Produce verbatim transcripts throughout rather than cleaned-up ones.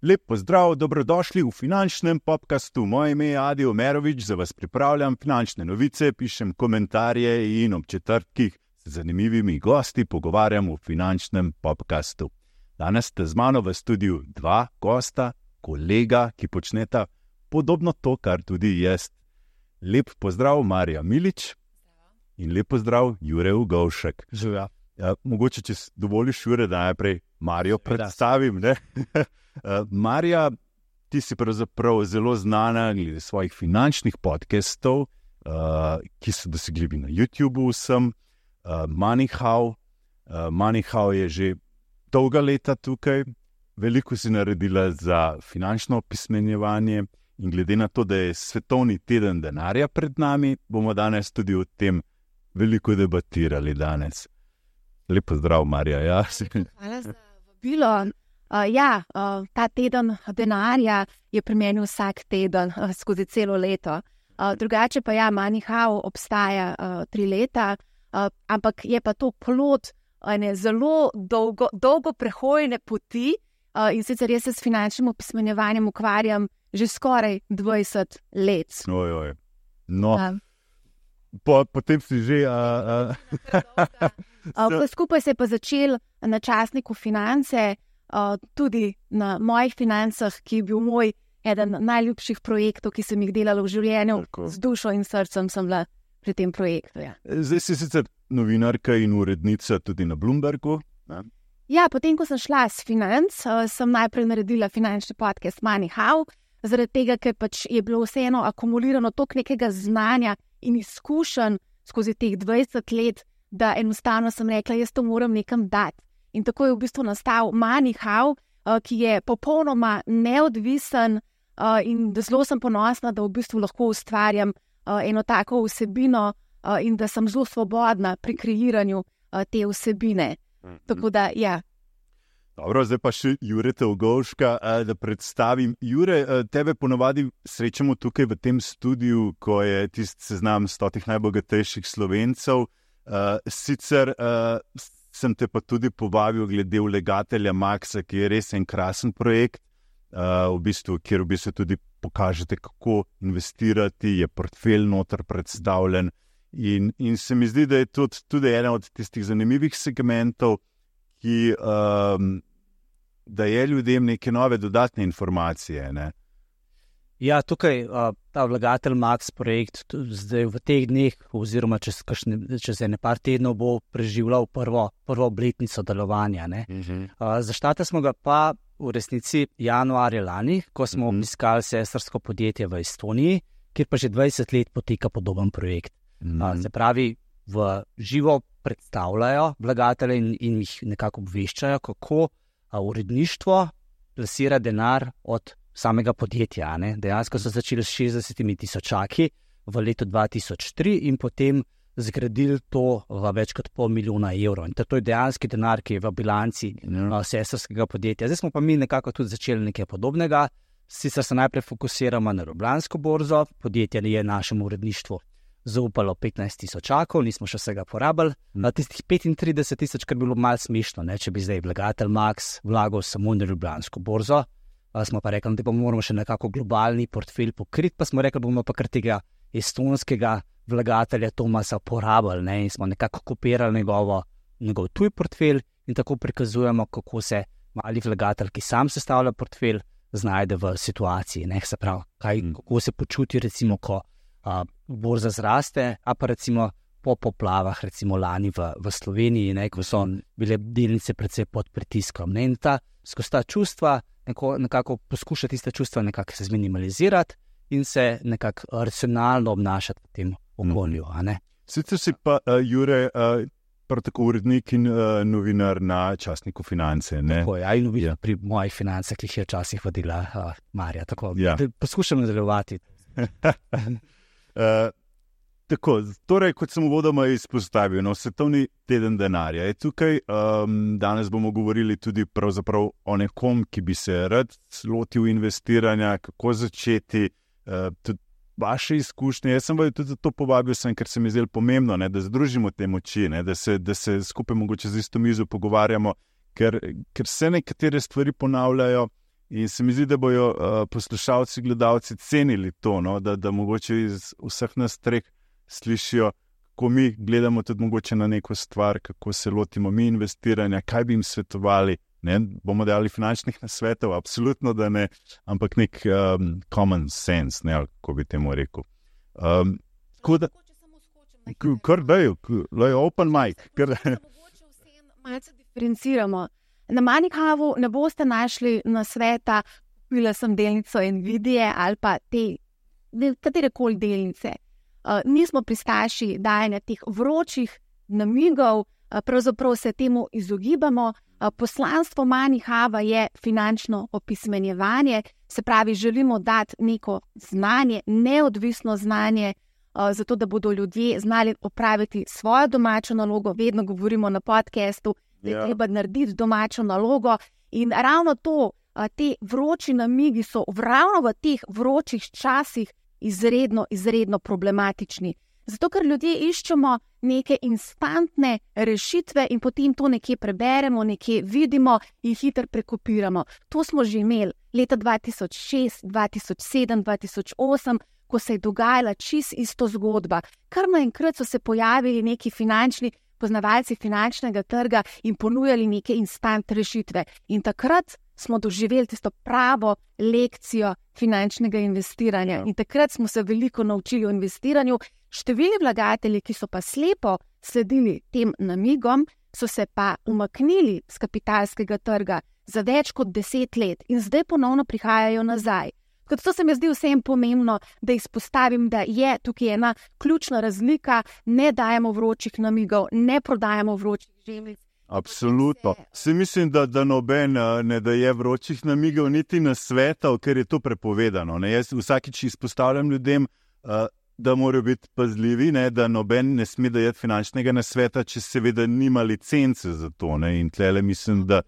Lep pozdrav, dobrodošli v finančnem podcastu. Moje ime je Adi Omerovič, za vas pripravljam finančne novice, pišem komentarje in ob četrtkih z zanimivimi gosti pogovarjam v finančnem podcastu. Danes ste z mano v studiu dva gosta, kolega, ki počneta podobno to, kar tudi jaz. Lep pozdrav, Marija Milič. In lep pozdrav, Jure Ugovšek. Živja. Ja, mogoče, če dovoliš, Jure, da najprej Marijo predstavim. Ne? Marija, ti si pravzaprav zelo znana glede svojih finančnih podcastov, uh, ki so dosegljivi na YouTubeu vsem. Uh, MoneyHow. Uh, MoneyHow je že dolga leta tukaj. Veliko si naredila za finančno opismenjevanje in glede na to, da je svetovni teden denarja pred nami, bomo danes tudi o tem veliko debatirali danes. Lep pozdrav, Marija. Ja. Hvala za vabilo. Uh, ja, uh, ta teden denarja je pri meni vsak teden uh, skozi celo leto. Uh, drugače pa ja, MoneyHow obstaja uh, tri leta, uh, ampak je pa to plod ene zelo dolgo, dolgo prehojene poti uh, in sicer jaz se s finančnim opismenjevanjem ukvarjam že skoraj dvajset let. Oj, oj. No, Uh, po, potem si že... Uh, uh, uh, skupaj se je pa začel na časniku Finance, uh, tudi na mojih financah, ki je bil moj eden najljubših projektov, ki sem jih delala v življenju. Tako. Z dušo in srcem sem bila pri tem projektu. Ja, Zdaj si sicer novinarka in urednica tudi na Bloombergu. Ne? ja potem, ko sem šla s financ, uh, sem najprej naredila finančni podcast MoneyHow, zaradi tega, ker pač je bilo vseeno akumulirano toliko nekega znanja in izkušenj skozi teh dvajset let, da enostavno sem rekla, jaz to moram nekam dati. In tako je v bistvu nastal MoneyHow, uh, ki je popolnoma neodvisen uh, in zelo sem ponosna, da v bistvu lahko ustvarjam uh, eno tako vsebino uh, in da sem zelo svobodna pri kreiranju uh, te vsebine. Mhm. Tako da, ja. Dobro, zdaj pa še Jureta Ugovška, eh, da predstavim. Jure, eh, tebe ponovadi srečamo tukaj v tem studiu, ko je tisti seznam stotih najbogatejših Slovencev. Eh, sicer eh, sem te pa tudi povabil glede Vlegatelja Maxa, ki je res en krasen projekt, eh, v bistvu, kjer v bistvu tudi pokažete, kako investirati, je portfelj noter predstavljen. In, in se mi zdi, da je tudi, tudi ena od tistih zanimivih segmentov, ki um, daje ljudem neke nove dodatne informacije. Ne? Ja, tukaj uh, ta Vlegatelj Max projekt tu- zdaj v teh dneh oziroma čez, kakšne, čez ene par tednov bo preživljal prvo, prvo obletnico delovanja. Ne? Uh-huh. Uh, Zaštartali smo ga pa v resnici januarja lani, ko smo Mhm. obiskali sestrsko podjetje v Estoniji, kjer pa že dvajset let poteka podoben projekt. Uh, se pravi, v živo predstavljajo vlagatelje in, in jih nekako obveščajo, kako a, uredništvo plasira denar od samega podjetja. a Ne? Dejansko so začeli s šestdesetimi tisočaki v letu dva tisoč tri in potem zgradili to v več kot pol milijona evrov. In to je dejanski denar, ki je v bilanci Ja. a, sestrskega podjetja. Zdaj smo pa mi nekako tudi začeli nekaj podobnega. Sicer se najprej fokusiramo na Ljubljansko borzo, podjetje je našemu uredništvu zaupalo petnajst tisočakov, nismo še vsega porabili. Na tistih petintrideset tisoč, kar bi bilo malo smešno, ne, če bi zdaj Vlegatelj Max vlagal samo na Ljubljansko borzo. A smo pa rekli, da pa moramo še nekako globalni portfelj pokriti, pa smo rekli, bomo pa kar tega estonskega vlagatelja Tomasa porabili, ne, in smo nekako kopirali njegovo, njegov tuj portfelj in tako prikazujemo, kako se mali vlagatelj, ki sam sestavlja portfelj, znajde v situaciji, ne, se pravi, kaj, Mm. kako se počuti recimo, ko a, borza zraste, a pa recimo po poplavah, recimo lani v, v Sloveniji, ne, ko so bile delnice predvsej pod pritiskom. Ne, in ta, skozi ta čustva neko, nekako poskuša tiste čustva nekako se zminimalizirati in se nekako racionalno obnašati v tem okolju. a ne. Sicer si pa, uh, Jure, uh, prav tako urednik in uh, novinar na časniku Finance. Ne? Tako, ja, in Ja. pri mojih financah, ki jih je včasih vodila uh, Marja. Tako, Ja. da poskušam nadaljevati. Uh, tako, torej, kot sem uvodoma izpostavil, no, svetovni teden denarja je tukaj. Um, danes bomo govorili tudi pravzaprav o nekom, ki bi se rad lotil investiranja, kako začeti. Uh, tudi vaše izkušnje. Jaz sem tudi zato povabil, sem, ker se mi zdelo pomembno, ne, da združimo te moči, ne, da, se, da se skupaj mogoče z isto mizo pogovarjamo, ker, ker se nekatere stvari ponavljajo in se mi zdi, da bojo uh, poslušalci, gledalci cenili to, no, da, da mogoče iz vseh nas treh slišijo, kako mi gledamo tudi mogoče na neko stvar, kako se lotimo mi investiranja, kaj bi jim svetovali. Ne, bomo dali finančnih nasvetov, absolutno da ne, ampak nek um, common sense, ne, kako bi temu rekel. Um, tako da, kar dajo, open mic. Mogoče vsem malce diferenciramo. Na Moneyhavu ne boste našli nasveta, kupila sem delnico Nvidie ali pa te, katerekoli delnice. Uh, nismo pristaši dajanja teh vročih namigov, uh, pravzaprav se temu izogibamo. Poslanstvo Moneyhava je finančno opismenjevanje, se pravi, želimo dati neko znanje, neodvisno znanje, zato da bodo ljudje znali opraviti svojo domačo nalogo. Vedno govorimo na podcastu, da je treba narediti domačo nalogo in ravno to, te vroči namigi so ravno v teh vročih časih izredno, izredno problematični. Zato, ker ljudje iščemo neke instantne rešitve in potem to nekje preberemo, nekje vidimo in hitro prekopiramo. To smo že imeli leta dva tisoč šest, dva tisoč sedem, dva tisoč osem, ko se je dogajala čisto isto zgodba. Kar naenkrat so se pojavili neki finančni poznavalci finančnega trga in ponujali neke instant rešitve. In takrat smo doživeli tisto pravo lekcijo finančnega investiranja. In takrat smo se veliko naučili o investiranju. Številni vlagatelji, ki so pa slepo sledili tem namigom, so se pa umaknili z kapitalskega trga za več kot deset let in zdaj ponovno prihajajo nazaj. Kot to se mi zdi vsem pomembno, da izpostavim, da je tukaj ena ključna razlika, ne dajemo vročih namigov, ne prodajamo vročih žemljic. Absolutno. Se mislim, da, da noben ne daje vročih namigov, niti nasvetov, ker je to prepovedano. Ne? Jaz vsakič izpostavljam ljudem, uh, da morajo biti pazljivi, ne? Da noben ne sme dajati finančnega nasveta, če seveda nima licence za to. Ne? In tlele mislim, da,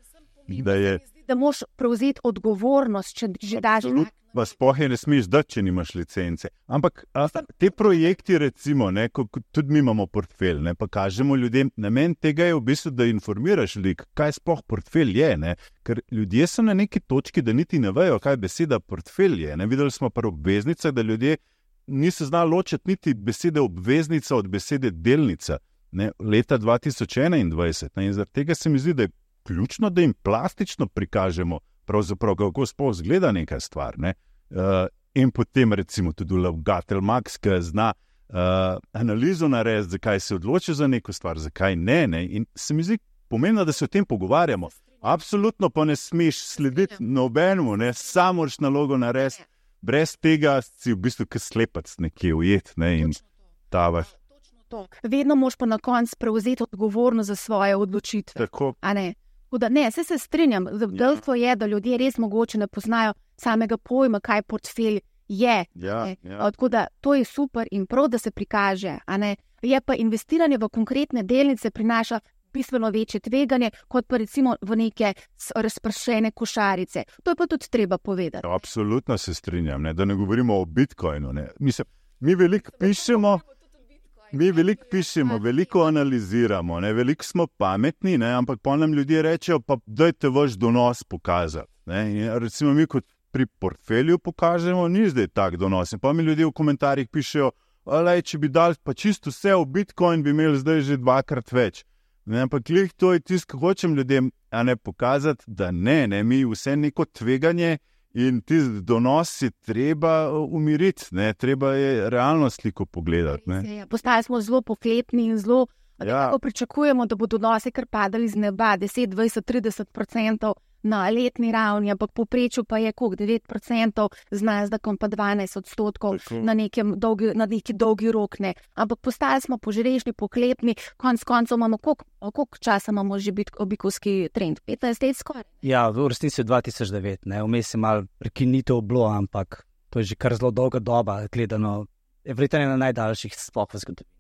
da je... Da moraš prevzeti odgovornost, če že daš... Pa sploh je ne smeš dati, če nimaš licence. Ampak a, te projekti, recimo, ne, ko, ko tudi mi imamo portfelj, ne, pa kažemo ljudem, namen tega je v bistvu, da informiraš ljudi, kaj sploh portfelj je. Ne. Ker ljudje so na neki točki, da niti ne vejo, kaj beseda portfelj je. Ne. Videli smo pri obveznicah, da ljudje niso znali ločiti niti besede obveznica od besede delnica. Ne, leta dva tisoč enaindvajset. Ne, in zaradi tega se mi zdi, da je ključno, da jim plastično prikažemo, pravzaprav kako sploh zgleda neka stvar. Ne. Uh, in potem recimo tudi vlagatelj Max, ki zna uh, analizo narediti, zakaj se odloči za neko stvar, zakaj ne, ne. In se mi zdi pomembno, da se o tem pogovarjamo. Absolutno pa ne smeš slediti nobenemu, ne, samo moraš nalogo narediti. Brez tega si v bistvu kot slepec nekje ujet, ne, in tavaš. Vedno moš pa na koncu prevzeti odgovornost za svoje odločitve. Tako. A ne? Da ne, se se strinjam, dejstvo je, da ljudje res mogoče ne poznajo samega pojma, kaj portfelj je. Ja, ja. Tako da to je super in prav, da se prikaže. A ne? Je pa investiranje v konkretne delnice prinaša bistveno večje tveganje, kot pa recimo v neke razpršene košarice. To je pa tudi treba povedati. Absolutno se strinjam, ne? Da ne govorimo o Bitcoinu. Ne? Mislim, mi veliko pišemo... Mi veliko pišemo, veliko analiziramo, ne? Veliko smo pametni, ne? Ampak pa nam ljudje rečejo, pa dajte vaš donos pokazati. Ne? In recimo mi kot pri portfelju pokažemo, ni zdaj tak donos. In pa mi ljudje v komentarjih pišejo, alej, če bi dali pa čisto vse v Bitcoin, bi imeli zdaj že dvakrat več. Ne? Ampak lih to je tisto, hočem ljudem a ne pokazati, da ne, ne, mi vse neko tveganje in tisti donos je treba umiriti, ne, treba je realno sliko pogledati. Ne. Postali smo zelo pohlepni in zelo, ja. Tako pričakujemo, da bodo donosi kar padali z neba, deset, dvajset, trideset procentov na letni ravni, ampak povprečju pa je koliko, devet procentov, z Nasdaqom pa dvanajst odstotkov na, dolgi, na neki dolgi rok. Ne. Ampak postali smo požrešni, pohlepni, konc koncev imamo, koliko, koliko časa imamo že bikovski trend? petnajst let skoraj? Ja, v resnici dva tisoč devet, ne, vmes je malo prekinitev bilo, ampak to je že kar zelo dolga doba, gledano, Everton je na najdaljših sploh v zgodovini.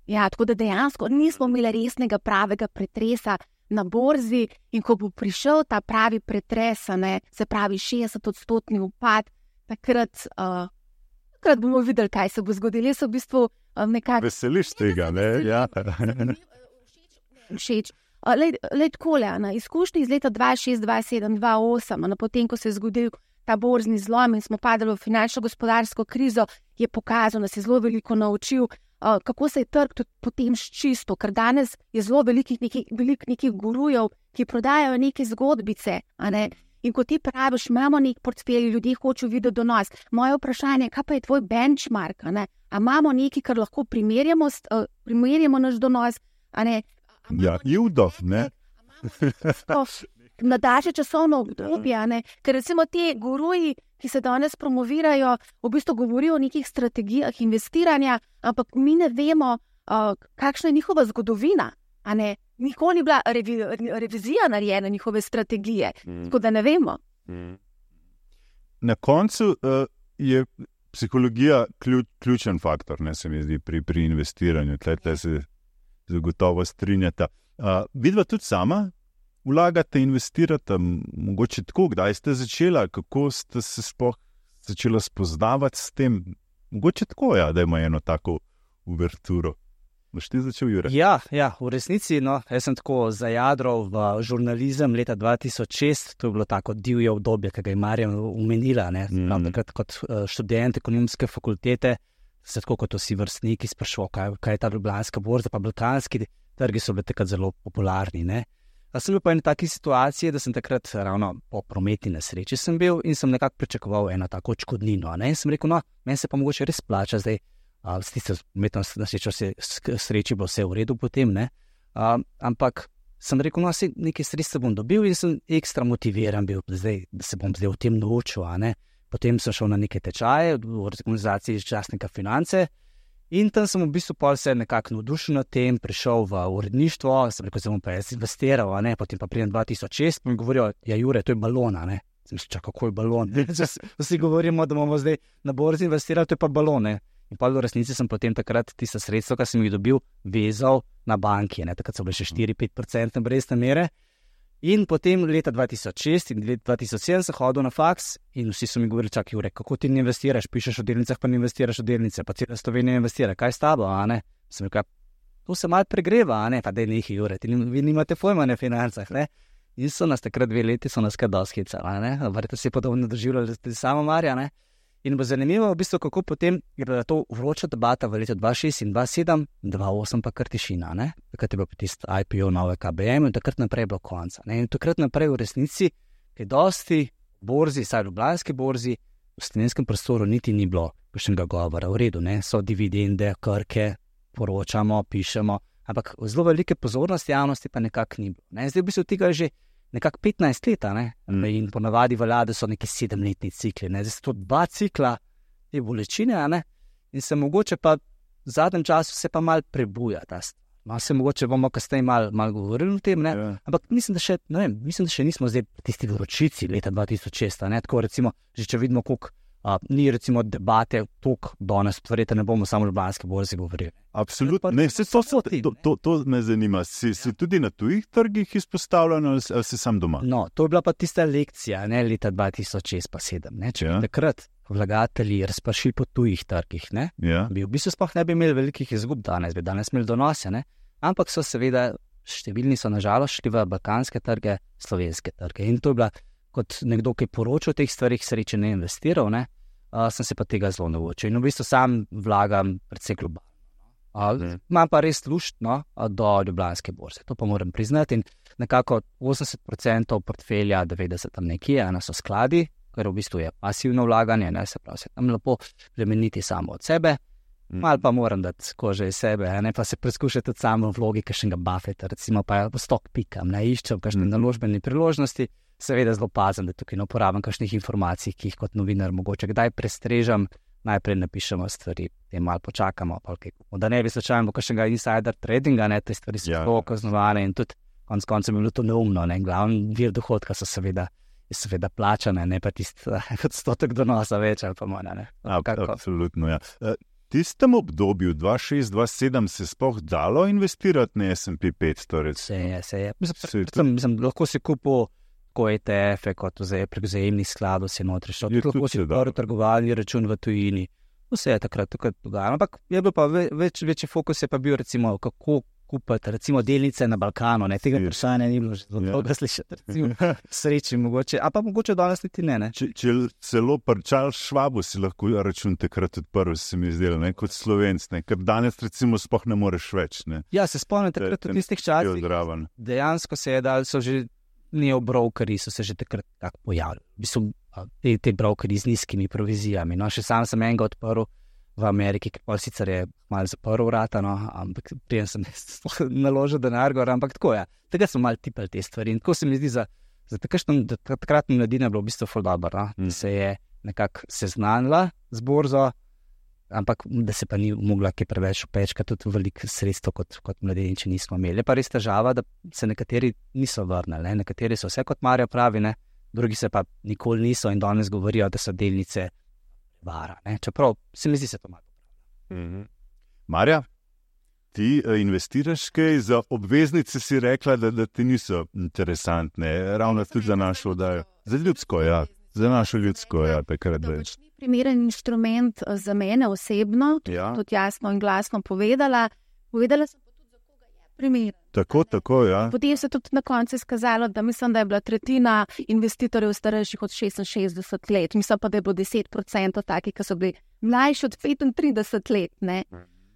Ja, tako da dejansko nismo imeli resnega pravega pretresa na borzi in ko bo prišel ta pravi pretres, ne, se pravi šestdeset odstotni upad, takrat uh, takrat bomo videli, kaj se bo zgodilo. Jaz v bistvu um, nekako... Veseliš tega, ne? Ja. Všeč. Lej takole, na izkušnji iz leta dva šest, dva sedem, dva osem, na potem, ko se je zgodil ta borzni zlom in smo padali v finančno-gospodarsko krizo, je pokazal, da se je zelo veliko naučil, uh, kako se je trg tudi potem ščistil, ker danes je zelo velikih nekih, velik nekih gurujev, ki prodajajo neke zgodbice, a ne? In ko ti praviš, imamo nek portfelj, ljudje hočejo videti donos. Moje vprašanje je, kaj pa je tvoj benchmark, a ne? A imamo nekaj, kar lahko primerjamo, uh, primerjamo naš donos, a ne? Ja, Judo, ne? Na daljše časovno obdobje, ne? Ker recimo te guruji, ki se danes promovirajo, v bistvu govorijo o nekih strategijah investiranja, ampak mi ne vemo, uh, kakšna je njihova zgodovina, a ne? Nikoli ni bila revi, revizija narejena njihove strategije, mm. tako da ne vemo. Mm. Na koncu uh, je psihologija ključ, ključen faktor, ne, se mi zdi, pri, pri investiranju. Tle se zagotovo strinjata. Uh, vidva tudi sama vlagate, investirate, mogoče tako, kdaj ste začela, kako ste se sploh začela spoznavati s tem? Mogoče tako, ja, da ima eno tako uverturo. Boš ti začel, Jure? Ja, ja, v resnici, no, jaz sem tako zajadral v žurnalizem leta dva tisoč šest, to je bilo tako divje obdobje, ki ga je Marjan omenila, ne, mm. takrat kot študent ekonomske fakultete, se tako kot vsi vrstniki sprašoval, kaj, kaj je ta ljubljanska borza, pa balkanski trgi so bili takrat zelo popularni, ne. A sem bil pa v eni taki situaciji, da sem takrat ravno po prometni nesreči sem bil in sem nekako pričakoval eno tako odškodnino, ne, in sem rekel, no, meni se pa mogoče res plača zdaj. Uh, s tisto umetno nasrečo se sreči bo vse v redu potem, ne? Uh, ampak sem rekel, no, nekaj sredstev bom dobil in sem ekstra motiviran bil, zdaj, da se bom zdaj v tem naučil, a ne? Potem sem šel na neke tečaje v organizaciji časnika Finance in tam sem v bistvu pol se nekako navdušil nad tem, prišel v uredništvo, sem rekel, zdaj bom pa jaz investiral, a ne? Potem pa pridem dva tisoč šest, pa mi govorijo, ja, Jure, to je balon, a ne? Sem mislil, čak, kako je balon? Vsi govorimo, da bomo zdaj na borzi investirali, to je pa balon, ne? In pa v resnici sem potem takrat tista sredstva, ki sem jih dobil, vezal na banki. Ne? Takrat so bile še štiri do pet procentov obrestne mere. In potem leta dva tisoč šest in leta dva tisoč sedem sem hodil na faks in vsi so mi govorili, čak, Jure, kako ti ne investiraš, pišeš o delnicah, pa ne investiraš o delnice, pa cela Slovenija investira, kaj s tabo, a ne? Sem rekel, to se malo pregreva, a ne? Pa daj nekaj, Jure, ti vi nimate pojma na financah, ne? In so nas takrat dve leti, so nas kaj dosti hecali, a ne? Verjetno si podobno doživljali tudi sama Marja, ne? In bo zanimivo, v bistvu, kako potem je bila to vroča debata v letu dva šest in dva sedem, dva osem pa kar tišina, ne? Takrat je bil tisti I P O nove K B M in takrat naprej je bilo konca, ne? In takrat naprej v resnici, kaj dosti borzi, saj ljubljanski borzi, v slovenskem prostoru niti ni bilo kakšnega govora, v redu, ne? So dividende, krke, poročamo, pišemo, ampak zelo velike pozornosti javnosti pa nekako ni bilo, ne? Zdaj v bistvu tega je že nekako petnajst let, ne? Mm. In ponavadi vlade so neki sedemletni cikli, ne? Zdaj so to dva cikla te bolečine, ne? In se mogoče pa v zadnjem času se pa malo prebuja ta stvar. Malo se mogoče bomo kasneje malo mal govorili o tem, ne? Yeah. Ampak mislim, da še, ne vem, mislim, da še nismo zdaj tisti vročici leta dva tisoč šest, ne? Tako recimo, že če vidimo, koliko Uh, ni recimo debate toliko danes, verjetno ne bomo samo o ljubljanski borzi govorili. Absolutno, ne, vse to, to, to, to, to me zanima. Si, si tudi na tujih trgih izpostavljen ali si sam doma? No, to je bila pa tista lekcija, ne, leta dva tisoč šest pa sedem, ne, če ja. bi takrat vlagatelji razpršili po tujih trgih, ne, ja. bi v bistvu sploh ne bi imeli velikih izgub danes, bi danes imeli donose, ne, ampak so seveda, številni so nažalost šli v balkanske trge, slovenske trge in to je bila kot nekdo, ki je poročal o teh stvarih, sreče ne investiral, ne, uh, sem se pa tega zelo naučil. In v bistvu sam vlagam predvsej globalno. Uh, imam pa res lušt, no, do ljubljanske borze, to pa moram priznati. In nekako osemdeset procentov portfelja, devetdeset tam nekje, ena so skladi, ker v bistvu je pasivno vlaganje, ne, se pravi, se tam lepo plemeniti samo od sebe. Malo pa moram dati kože iz sebe, ne, pa se preskušati tudi samo v vlogi kakšnega Buffetta, recimo pa v stok pikam, ne, iščem kakšne naložbene priložnosti. Seveda zelo pazim, da tukaj ne uporabim kakšnih informacij, ki jih kot novinar mogoče kdaj prestrežem, najprej napišemo stvari, te malo počakamo, pa kaj, da ne bi slučajno kakšnega insider tradinga, ne, te stvari so zelo kaznovane in tudi konec koncev je bilo to neumno, ne, glavni vir dohodka so seveda, seveda plačane, ne pa tisti odstotek donosa več ali pa manj, ne. Absolutno, ja. V tistem obdobju dva šest dva sedem se sploh dalo investirati na S and P petsto? Se je, se je. Mislim, mislim, lahko si kupil tako E T F-e, kot prek vzajemnih skladov si notri šel. Lahko si prvi trgovalni račun v tujini, Vse je takrat, takrat dogajalo. Ampak je bil pa več, večji fokus je pa bil recimo, kako kupiti recimo delnice na Balkanu. Ne? Tega vprašanja ni bilo že zelo dolgo slišati. Recimo, sreči mogoče, a pa mogoče danes niti ne. ne? Če, če celo pričal Švabu si lahko račun takrat odprl, se mi zdelo, ne? Kot Slovenc, ne? Ker danes recimo sploh ne moreš več. Ne? Ja, se spomnim takrat v tistih časih. Dejansko se je dal, so že neobrokeri, so se že takrat tako pojavili. V bistvu, te, te brokeri z nizkimi provizijami. No, še sam sem enega odprl v Ameriki, ker pa sicer je malo zaprl vrata, no, ampak prijem sem naložil denar gor, ampak tako je. Tega smo malo tipali te stvari in tako se mi zdi za, za takratno mladino bilo v bistvu ful dobro, no, mm. da se je nekako seznanila z borzo, ampak da se pa ni mogla kaj preveč upečkati tudi veliko sredstvo kot, kot mladini, če nismo imeli. Je pa res težava, da se nekateri niso vrnili, ne? Nekateri so vse kot Marja pravi, ne? Drugi se pa nikoli niso in danes govorijo, da so delnice vara, ne? Čeprav se mi zdi se to malo. Mm-hmm. Marja, ti uh, investiraš kaj za obveznice, si rekla, da, da ti niso interesantne, ravno tudi za našo oddajo. Za ljudsko, ja. Za našo ljudsko, ja, takrat več. To pač ni primeren inštrument za mene osebno, ja. Tudi jasno in glasno povedala. Povedala sem pa tudi, za koga je primeren. Tako, tako, ja. Potem se tudi na koncu izkazalo, da mislim, da je bila tretjina investitorjev starejših od šestinšestdeset let. Mislim pa, da je bilo deset procentov takih, ki so bili mlajši od petintrideset let, ne.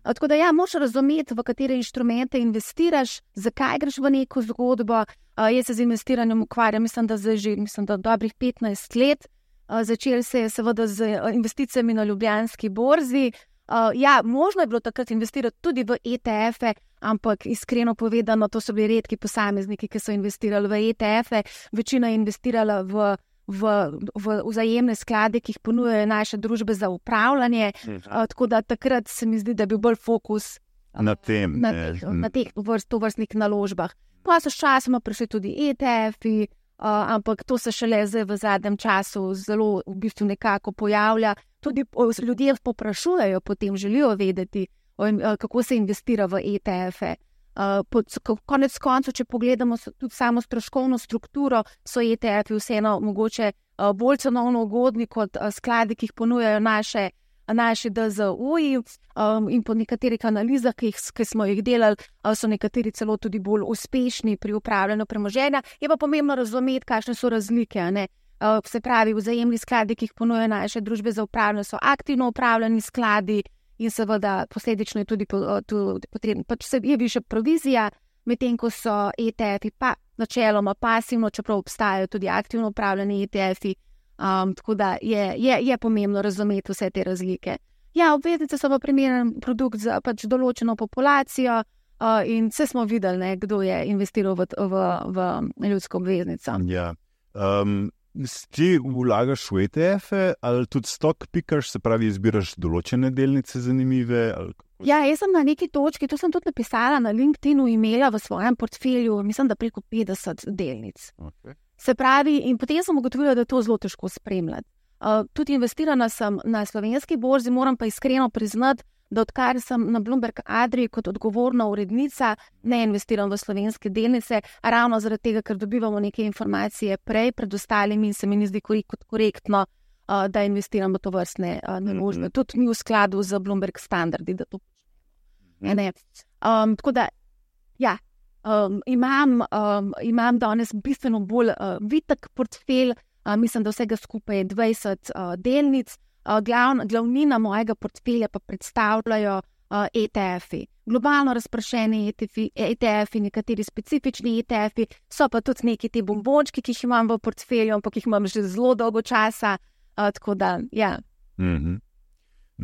Tako da ja, moraš razumeti, v katere inštrumente investiraš, zakaj greš v neko zgodbo. Uh, jaz se z investiranjem ukvarjam, mislim, da zdaj že mislim, da dobrih petnajst let. Uh, začel se je seveda z investicijami na Ljubljanski borzi. Uh, ja, možno je bilo takrat investirati tudi v E T F-e, ampak iskreno povedano, to so bili redki posamezniki, ki so investirali v E T F-e. Večina je investirala v V, v vzajemne sklade, ki jih ponujajo naše družbe za upravljanje. Uh, tako da takrat se mi zdi, da bi bil bolj fokus uh, na tem, na teh, na teh vrst, tovrstnih naložbah. Pa so sčasoma prišli tudi E T F-i, uh, ampak to se šele zdaj v zadnjem času zelo v bistvu nekako pojavlja. Tudi ljudje poprašujejo, potem želijo vedeti, o, uh, kako se investira v E T F-e. Uh, pod, konec koncev, če pogledamo tudi samo stroškovno strukturo, so E T F-i vseeno mogoče uh, bolj cenovno ugodni kot uh, skladi, ki jih ponujajo naše, naši D Z U-ji um, in po nekaterih analizah, ki, jih, ki smo jih delali, uh, so nekateri celo tudi bolj uspešni pri upravljanju premoženja. Je pa pomembno razumeti, kakšne so razlike, ne? Uh, se pravi, vzajemni skladi, ki jih ponujajo naše družbe za upravljanje, so aktivno upravljani skladi. In seveda posledično je tudi potrebno, pač je više provizija, medtem ko so E T F-i pa načeloma pasivno, čeprav obstajajo tudi aktivno upravljeni E T F-i, um, tako da je, je, je pomembno razumeti vse te razlike. Ja, obveznice so pa primeren produkt za pač določeno populacijo uh, in vse smo videli, ne, kdo je investiral v, v, v ljudsko obveznico. Ja. Um... Ti vlagaš v E T F-e ali tudi stock pickers, se pravi, izbiraš določene delnice zanimive? Ali... Ja, jaz sem na neki točki, to sem tudi napisala na LinkedInu, imela v svojem portfelju, mislim, da preko petdeset delnic. Okay. Se pravi, in potem sem ugotovila, da je to zelo težko spremljati. Uh, tudi investirana sem na slovenski borzi, moram pa iskreno priznati, da odkar sem na Bloomberg Adriji kot odgovorna urednica, ne investiram v slovenske delnice, ravno zaradi tega, ker dobivamo neke informacije prej pred ostalimi in se mi ni zdi korektno, uh, da investiram v to vrstne uh, naložbe. Mm-hmm. Tudi ni v skladu z Bloomberg standardi, da to počnemo. Um, tako da, ja, um, imam, um, imam danes bistveno bolj uh, vitek portfelj, uh, mislim, da vsega skupaj je dvajset uh, delnic. Uh, glavna, glavnina mojega portfelja pa predstavljajo uh, E T F-i. Globalno razprašeni E T F-i, nekateri specifični E T F-i, so pa tudi neki te bombončki, ki jih imam v portfelju, ampak jih imam že zelo dolgo časa, uh, tako da, ja. Mm-hmm.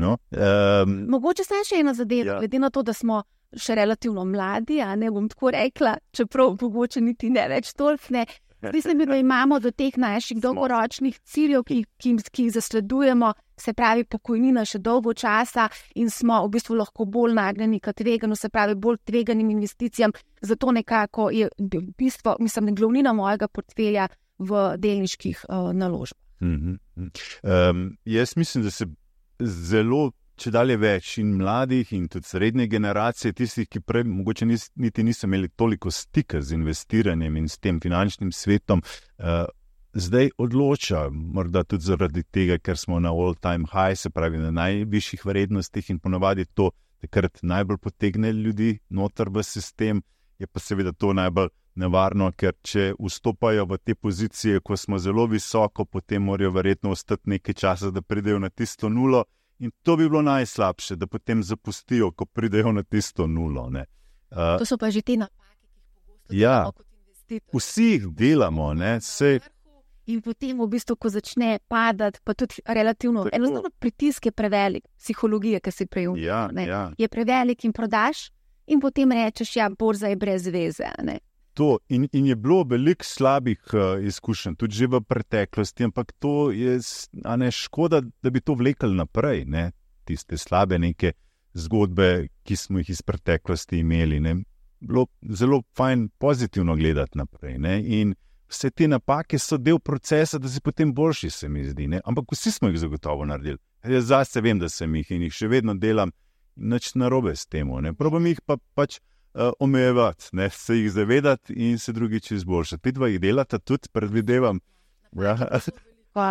No, um... Mogoče se še ena zadeva, ja. Glede na to, da smo še relativno mladi, a ne bom tako rekla, čeprav mogoče niti ne več toliko ne. Zdi se mi, da imamo do teh naših dolgoročnih ciljev, ki, ki, ki jih zasledujemo, se pravi pokojnina še dolgo časa in smo v bistvu lahko bolj nagnjeni k tveganju, se pravi bolj tveganim investicijam. Zato nekako je bistvo, mislim, glavnina mojega portfelja v delniških uh, naložbah. Mm-hmm. Um, jaz mislim, da se zelo če dalje več in mladih in tudi srednje generacije, tistih, ki prej mogoče nis, niti niso imeli toliko stika z investiranjem in s tem finančnim svetom, uh, zdaj odloča, morda tudi zaradi tega, ker smo na all-time high, se pravi na najvišjih vrednostih in ponavadi to takrat najbolj potegne ljudi noter v sistem, je pa seveda to najbolj nevarno, ker če vstopajo v te pozicije, ko smo zelo visoko, potem morajo verjetno ostati nekaj časa, da pridejo na tisto nulo in to bi bilo najslabše, da potem zapustijo, ko pridejo na tisto nulo. Ne. Uh, to so pa že te napake, ki jih pogosto ja, delamo kot investitor. Vsi jih delamo, ne, sej. In potem v bistvu, ko začne padati, pa tudi relativno, enostavno pritisk je prevelik, psihologija, ki si prej umil, ja, ja. je prevelik in prodaš in potem rečeš, ja, borza je brez veze. Ne. To in, in je bilo veliko slabih uh, izkušenj, tudi že v preteklosti, ampak to je a ne, škoda, da bi to vlekli naprej, ne? Tiste slabe neke zgodbe, ki smo jih iz preteklosti imeli. Ne? Bilo zelo fajn pozitivno gledati naprej. Ne? In vse te napake so del procesa, da si potem boljši, se mi zdi. Ne? Ampak vsi smo jih zagotovo naredili. Jaz zase vem, da sem jih in jih še vedno delam, nič narobe s tem. Probam jih pa pač Uh, omejevati, ne, se jih zavedati in se drugič izboljšati. Ti dva jih delata tudi, predvidevam. Ja.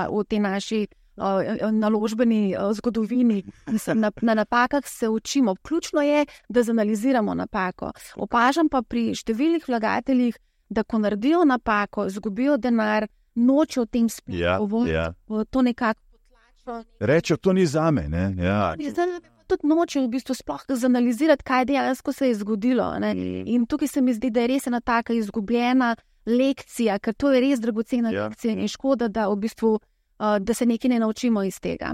V tej naši uh, naložbeni uh, zgodovini na, na napakah se učimo. Ključno je, da zanaliziramo napako. Opažam pa pri številnih vlagateljih, da ko naredijo napako, izgubijo denar, nočejo o tem sploh ja, govoriti. Ja. To nekako potlačijo. Rečejo, to ni zame. Ne? Ja. Tudi nočejo v bistvu sploh zanalizirati, kaj dejansko se je zgodilo. Ne? In tukaj se mi zdi, da je res ena taka izgubljena lekcija, ker to je res dragocena ja. lekcija in škoda, da, v bistvu, uh, da se nekaj ne naučimo iz tega.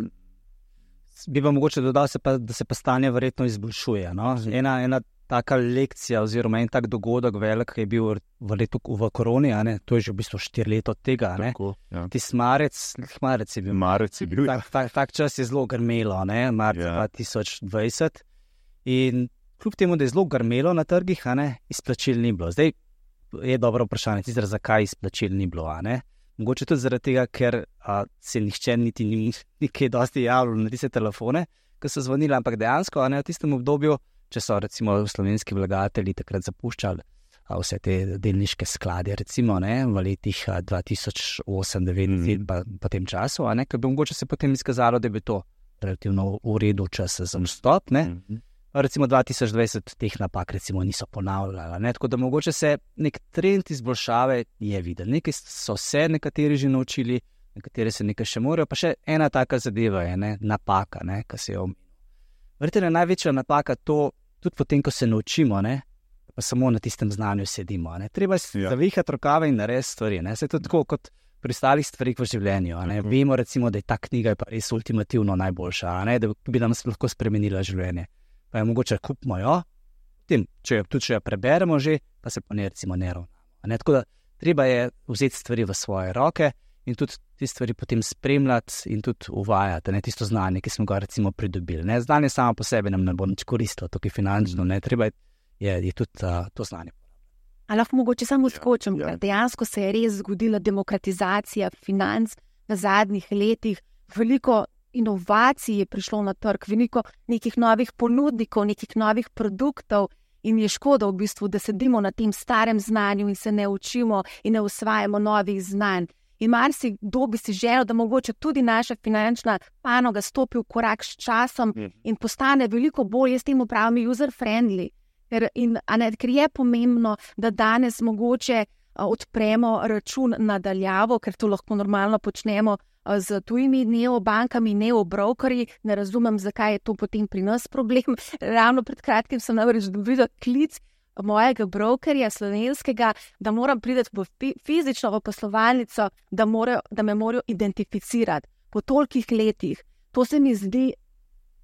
Bi pa mogoče dodal, se pa, da se pa stanje verjetno izboljšuje. No? Ena, ena taka lekcija oziroma en tak dogodek velik je bil v letu v koroni, a ne? To je že v bistvu štiri leta od tega. Tako, ja. Tis marec, marec je bil. Marec je bil, tak, tak, tak čas je zelo grmelo, ne? Marca ja. dva tisoč dvajset. In kljub temu, da je zelo grmelo na trgih, a ne? Izplačil ni bilo. Zdaj je dobro vprašanje, tizra, zakaj izplačil ni bilo, a ne? Mogoče tudi zaradi tega, ker a, se nihče niti ni nekaj dosti javljal na tiste telefone, ki so zvonili, ampak dejansko, a ne, v tistem obdobju, če so recimo slovenski vlagatelji takrat zapuščali a, vse te delniške sklade, recimo ne, v letih a, dva tisoč osem devet mm. pa, pa tem času, a ne, ker bi mogoče se potem izkazalo, da bi to relativno v redu čas za vstop, ne. Mm. Recimo dva tisoč dvajset teh napak recimo niso ponavljala, ne, tako da mogoče se nek trend izboljšave je videl. Nekaj so se nekateri že naučili, nekateri se nekaj še morajo, pa še ena taka zadeva je, ne, napaka, ne, ki se je omenil. Verjetno je največja napaka to, tudi potem, ko se naučimo, ne, pa samo na tistem znanju sedimo. Ne. Treba ja. zavihati rokave in narediti stvari. Ne. Se je to tako kot pri ostalih stvarih v življenju. Ne. Uh-huh. Vemo recimo, da je ta knjiga pa res ultimativno najboljša, ne, da bi nam lahko spremenila življenje. Pa je mogoče kupimo jo, tem, če jo, tudi če jo preberemo že, pa se pa ne recimo ne ravnamo. Ne. Tako da treba je vzeti stvari v svoje roke in tudi te stvari potem spremljati in tudi uvajati, ne, tisto znanje, ki smo ga recimo pridobili. Ne. Znanje samo po sebi nam ne bo nič koristilo, tukaj finančno, ne, treba je, je, je tudi uh, to znanje. A lahko mogoče samo skočim, ja, ja. Dejansko se je res zgodila demokratizacija financ v zadnjih letih, veliko inovacij je prišlo na trg, veliko nekih novih ponudnikov, nekih novih produktov in je škoda v bistvu, da sedimo na tem starem znanju in se ne učimo in ne usvajamo novih znanj. In marsikdo bi si želel, da mogoče tudi naša finančna panoga stopi v korak s časom in postane veliko bolj, jaz temu pravim, user-friendly. Ker, in, ne, ker je pomembno, da danes mogoče odpremo račun nadaljavo, ker to lahko normalno počnemo z tujimi neobankami, neobrokerji. Ne razumem, zakaj je to potem pri nas problem. Ravno pred kratkim sem namreč dobila klic mojega brokerja slovenskega, da moram priti v fizično v poslovalnico, da, morajo, da me morajo identificirati po tolikih letih. To se mi zdi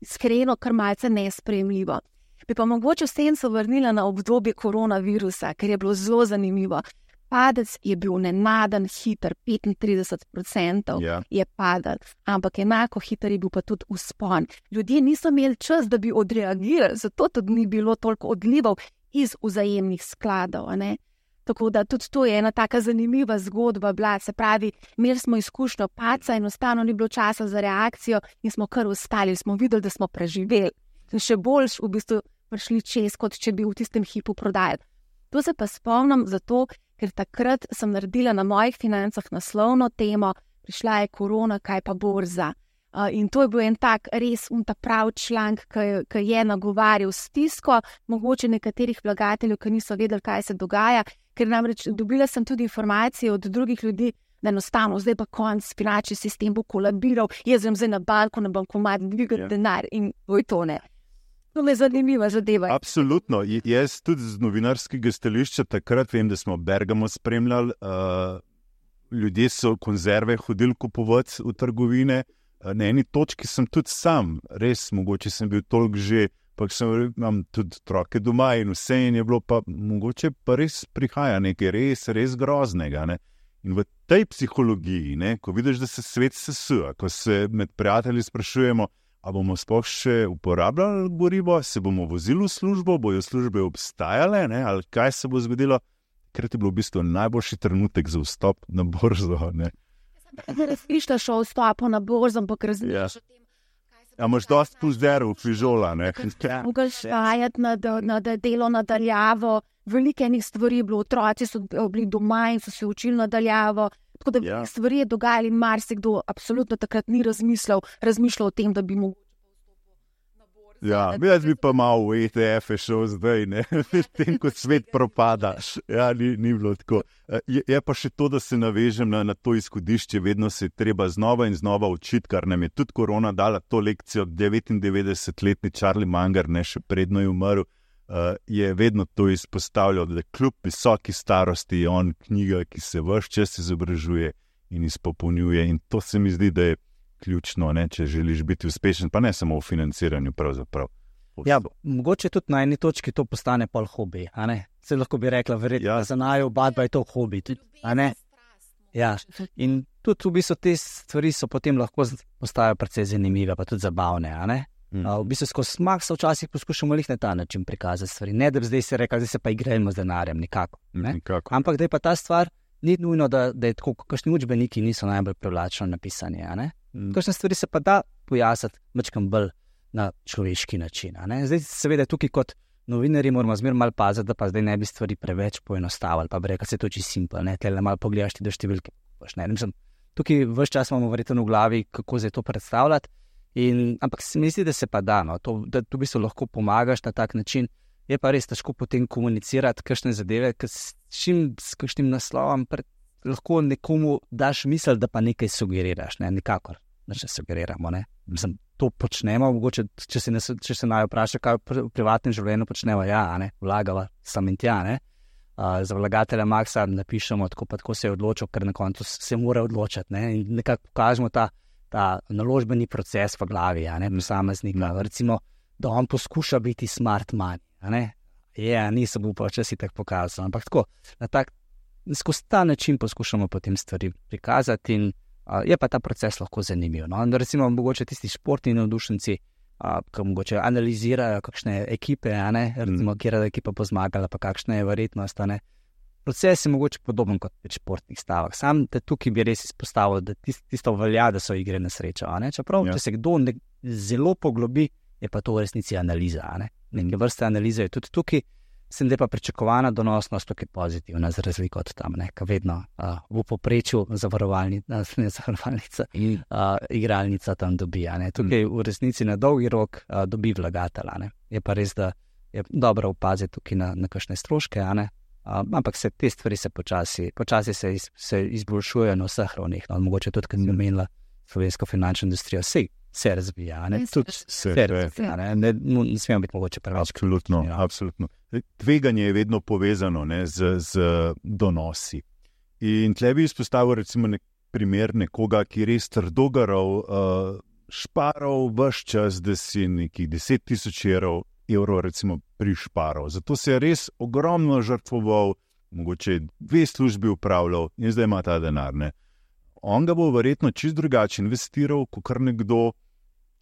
iskreno kar malce nesprejemljivo. Bi pa mogoče vsem se vrnila na obdobje koronavirusa, ker je bilo zelo zanimivo. Padec je bil nenaden, hiter, petintrideset procentov ja. je padel, ampak enako hiter je bil pa tudi vzpon. Ljudje niso imeli čas, da bi odreagirali, zato tudi ni bilo toliko odlivov iz vzajemnih skladov. Ne? Tako da tudi to je ena taka zanimiva zgodba bila, se pravi, imeli smo izkušnjo paca in enostavno ni bilo časa za reakcijo in smo kar ostali, smo videli, da smo preživeli. In še boljš v bistvu prišli čez, kot če bi v tistem hipu prodajali. To se pa spomnim zato, ker takrat sem naredila na mojih financah naslovno temo, prišla je korona, kaj pa borza. Uh, in to je bil en tak res un ta prav članek, ki je nagovarjal stisko, mogoče nekaterih vlagateljev, ki niso vedeli, kaj se dogaja, ker namreč dobila sem tudi informacije od drugih ljudi, da enostavno zdaj pa konc, finančni sistem bo kolabiral, jaz grem zdaj na banko, na bankomat, dvigati yeah. denar in oj to ne. To me zanimiva zadeva. Absolutno. J jaz tudi z novinarskega stališča takrat vem, da smo Bergamo spremljali, uh, ljudje so konzerve hodili kupovati v trgovine. Na eni točki sem tudi sam, res, mogoče sem bil toliko že, pa sem imam tudi otroke doma in vse in je bilo pa, mogoče pa res prihaja nekaj res, res groznega. Ne? In v tej psihologiji, ne, ko vidiš, da se svet sesuje, ko se med prijatelji sprašujemo, a bomo sploh še uporabljali gorivo, se bomo vozili v službo, bojo službe obstajale, ne, ali kaj se bo zgodilo, ker je bilo v bistvu najboljši trenutek za vstop na borzo, ne. Razmišljaš o vstopu na borzo, ampak razmišljaš o tem, kaj se... A imaš dosti plus zero fižola, ne? Mogaš šajati na, na delo nadaljavo, veliko enih stvari je bilo, otroci so bili doma in so se učili nadaljavo, tako da ja. stvari je dogajali, marsikdo absolutno takrat ni razmišljal, razmišljal o tem, da bi mogoče Ja, jaz bi pa malo v E T F-e šel zdaj, ne, s tem, kot svet propada. Ja, ni, ni bilo tako. Je, je pa še to, da se navežem na, na to izhodišče, vedno se je treba znova in znova učiti, kar nam je tudi korona dala to lekcijo, devetindevetdesetletni Charlie Munger, ne, še predno je umrl, uh, je vedno to izpostavljal, da kljub visoki starosti je on knjiga, ki se ves čas izobražuje in izpopolnjuje in to se mi zdi, da je ključno, ne, če želiš biti uspešen, pa ne samo v financiranju pravzaprav. Ja, mogoče tudi na eni točki to postane pol hobi, a ne? Se lahko bi rekla, verjetno, ja. za naju oba dva je to hobi, a ne? Ja, in tudi v bistvu te stvari so potem lahko postajajo precej zanimive, pa tudi zabavne, a ne? Mm. V bistvu skozi smak se včasih poskušamo lih na ta način prikazati stvari, ne da bi zdaj se rekla, zdaj se pa igrajmo z denarjem, nikako, ne? Nikako. Ampak da je pa ta stvar, ni nujno, da, da je tako, kakšni učbeniki niso najbolj privlačno napisani, a ne? Mm. Kakšne stvari se pa da pojasniti mačkam bolj na človeški način, a ne? Zdaj seveda tukaj kot novinarji moramo zmer malo paziti, da pa zdaj ne bi stvari preveč poenostavili, pa bi rekel, se to čisto simpel, ne? Tele malo pogledaš ti do številke, ne? Mislim, tukaj ves čas imamo verjetno v glavi, kako zdaj to predstavljati, in, ampak se mi zdi, da se pa da, no? To, da tu bi se lahko pomagaš na tak način, je pa res težko potem komunicirati kakšne zadeve, ker s čim, s kakšnim naslovom pred, lahko nekomu daš misel, da pa nekaj sugeriraš, ne, nikakor, da še sugeriramo, ne. Mislim, to počnemo, mogoče, če se, ne, če se naj vpraša, kaj v privatnem življenju počnemo, ja, ne, vlagava sam in tja, ne. Uh, za vlagatelja Maxa napišemo, tako pa tako se je odločil, ker na koncu se mora odločiti, ne, in nekako pokažemo ta, ta naložbeni proces v glavi, ja, ne, posameznika, recimo, da on poskuša biti smart money, a ne, ja, nisem upal, če si tako pokazal, ampak tako, na tak, skozi ta način poskušamo potem stvari prikazati in a, je pa ta proces lahko zanimiv, no, in recimo mogoče tisti športni navdušenci, a, ki mogoče analizirajo kakšne ekipe, a ne, recimo, mm. kjera ekipa bo zmagala, pa kakšna je verjetnost, a ne, proces je mogoče podoben kot v športnih stavah, sam te tukaj bi res izpostavil, da tist, tisto velja, da so igre na srečo, a ne, čeprav, ja. če se kdo ne, zelo poglobi, je pa to v resnici analiza, a ne? Neke vrste analize je tudi tukaj, sem da je pa pričakovana donosnost tukaj pozitivna, za razliko od tam, ne? Ka vedno uh, v poprečju zavarovalnica, ne zavarovalnica, uh, igralnica tam dobi, a ne? Tukaj v resnici na dolgi rok uh, dobi vlagatelj, a ne? Je pa res, da je dobro opaziti tukaj na, na kakšne stroške, a ne? Uh, ampak se te stvari se počasi, počasi se, iz, se izboljšujejo na vseh ravneh, no? Mogoče tudi, kad si omenila slovensko finančno industrijo, sej se razvija, ne? Tudi se razvija, ne? Ne, ne, ne smemo biti mogoče preveč. Absolutno, ja. absolutno. Tveganje je vedno povezano, ne, z, z donosi. In tle bi izpostavil recimo nek primer nekoga, ki res trdogaral, uh, šparal vš čas, da si nekih deset tisoč evrov, evrov recimo prišparal. Zato se je res ogromno žrtvoval, mogoče dve službi upravljal in zdaj ima ta denar, ne. On ga bo verjetno čist drugače investiral, kot kar nekdo,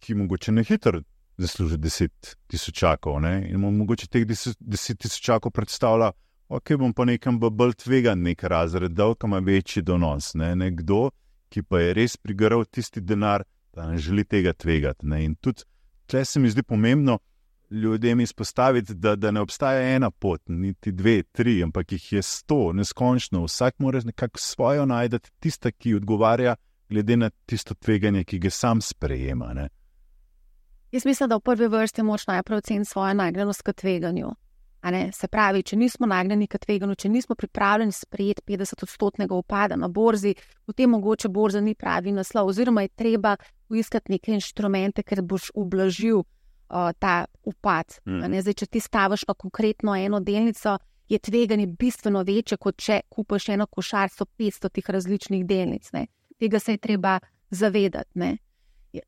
ki mogoče ne hitro zasluži deset tisočakov, ne, in mu mogoče teh deset tisočakov predstavlja, ok, bom pa nekam bolj tvegan nek razred, dal, kam ima večji donos, ne, nekdo, ki pa je res prigaral tisti denar, da ne želi tega tvegati, ne, in tudi tle se mi zdi pomembno, ljudem izpostaviti, da, da ne obstaja ena pot, niti dve, tri, ampak jih je sto, neskončno. Vsak mora nekako svojo najdeti, tista, ki odgovarja glede na tisto tveganje, ki ga sam sprejema. Ne? Jaz mislim, da v prvi vrsti moč najprej oceniti svojo nagnjenost k tveganju. A ne? Se pravi, če nismo nagnjeni k tveganju, če nismo pripravljeni sprejeti petdeset odstotnega upada na borzi, potem mogoče borza ni pravi naslov, oziroma je treba poiskati neke inštrumente, ker boš ublažil uh, ta upad. Mm. A ne? Zdaj, če ti staviš na konkretno eno delnico, je tveganje bistveno večje, kot če kupiš eno košarico petsto tih različnih delnic. Ne? Tega se je treba zavedati. Ne?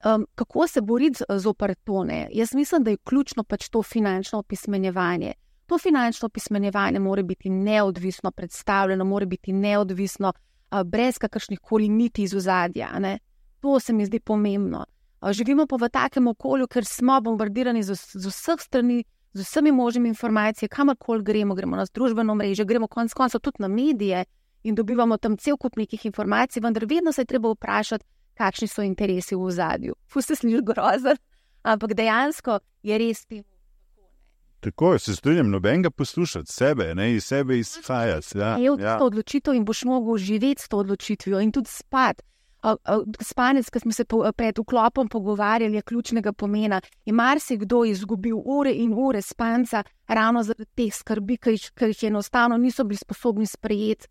Um, kako se boriti zoper to? Ne? Jaz mislim, da je ključno pač to finančno opismenjevanje. To finančno opismenjevanje mora biti neodvisno predstavljeno, mora biti neodvisno, uh, brez kakršnih koli niti iz ozadja. Ne? To se mi zdi pomembno. Uh, živimo pa v takem okolju, ker smo bombardirani z, z vseh strani, z vsemi možnimi informacijami, kamorkoli gremo, gremo na družbeno mrežo, gremo konec koncev tudi na medije in dobivamo tam cel kup nekih informacij, vendar vedno se je treba vprašati, kakšni so interesi v ozadju. Fu se sliši grozen, ampak dejansko je res tem. Tako, se strinjam, nobenega poslušati sebe, ne, iz sebe izhajati. Ja, je od ja. to odločitev in boš mogel živeti s to odločitvijo in tudi spati. Spanec, ki smo se pred vklopom pogovarjali, je ključnega pomena. Je marsikdo izgubil ure in ure spanca ravno zaradi teh skrbi, ker jih enostavno niso bili sposobni sprejeti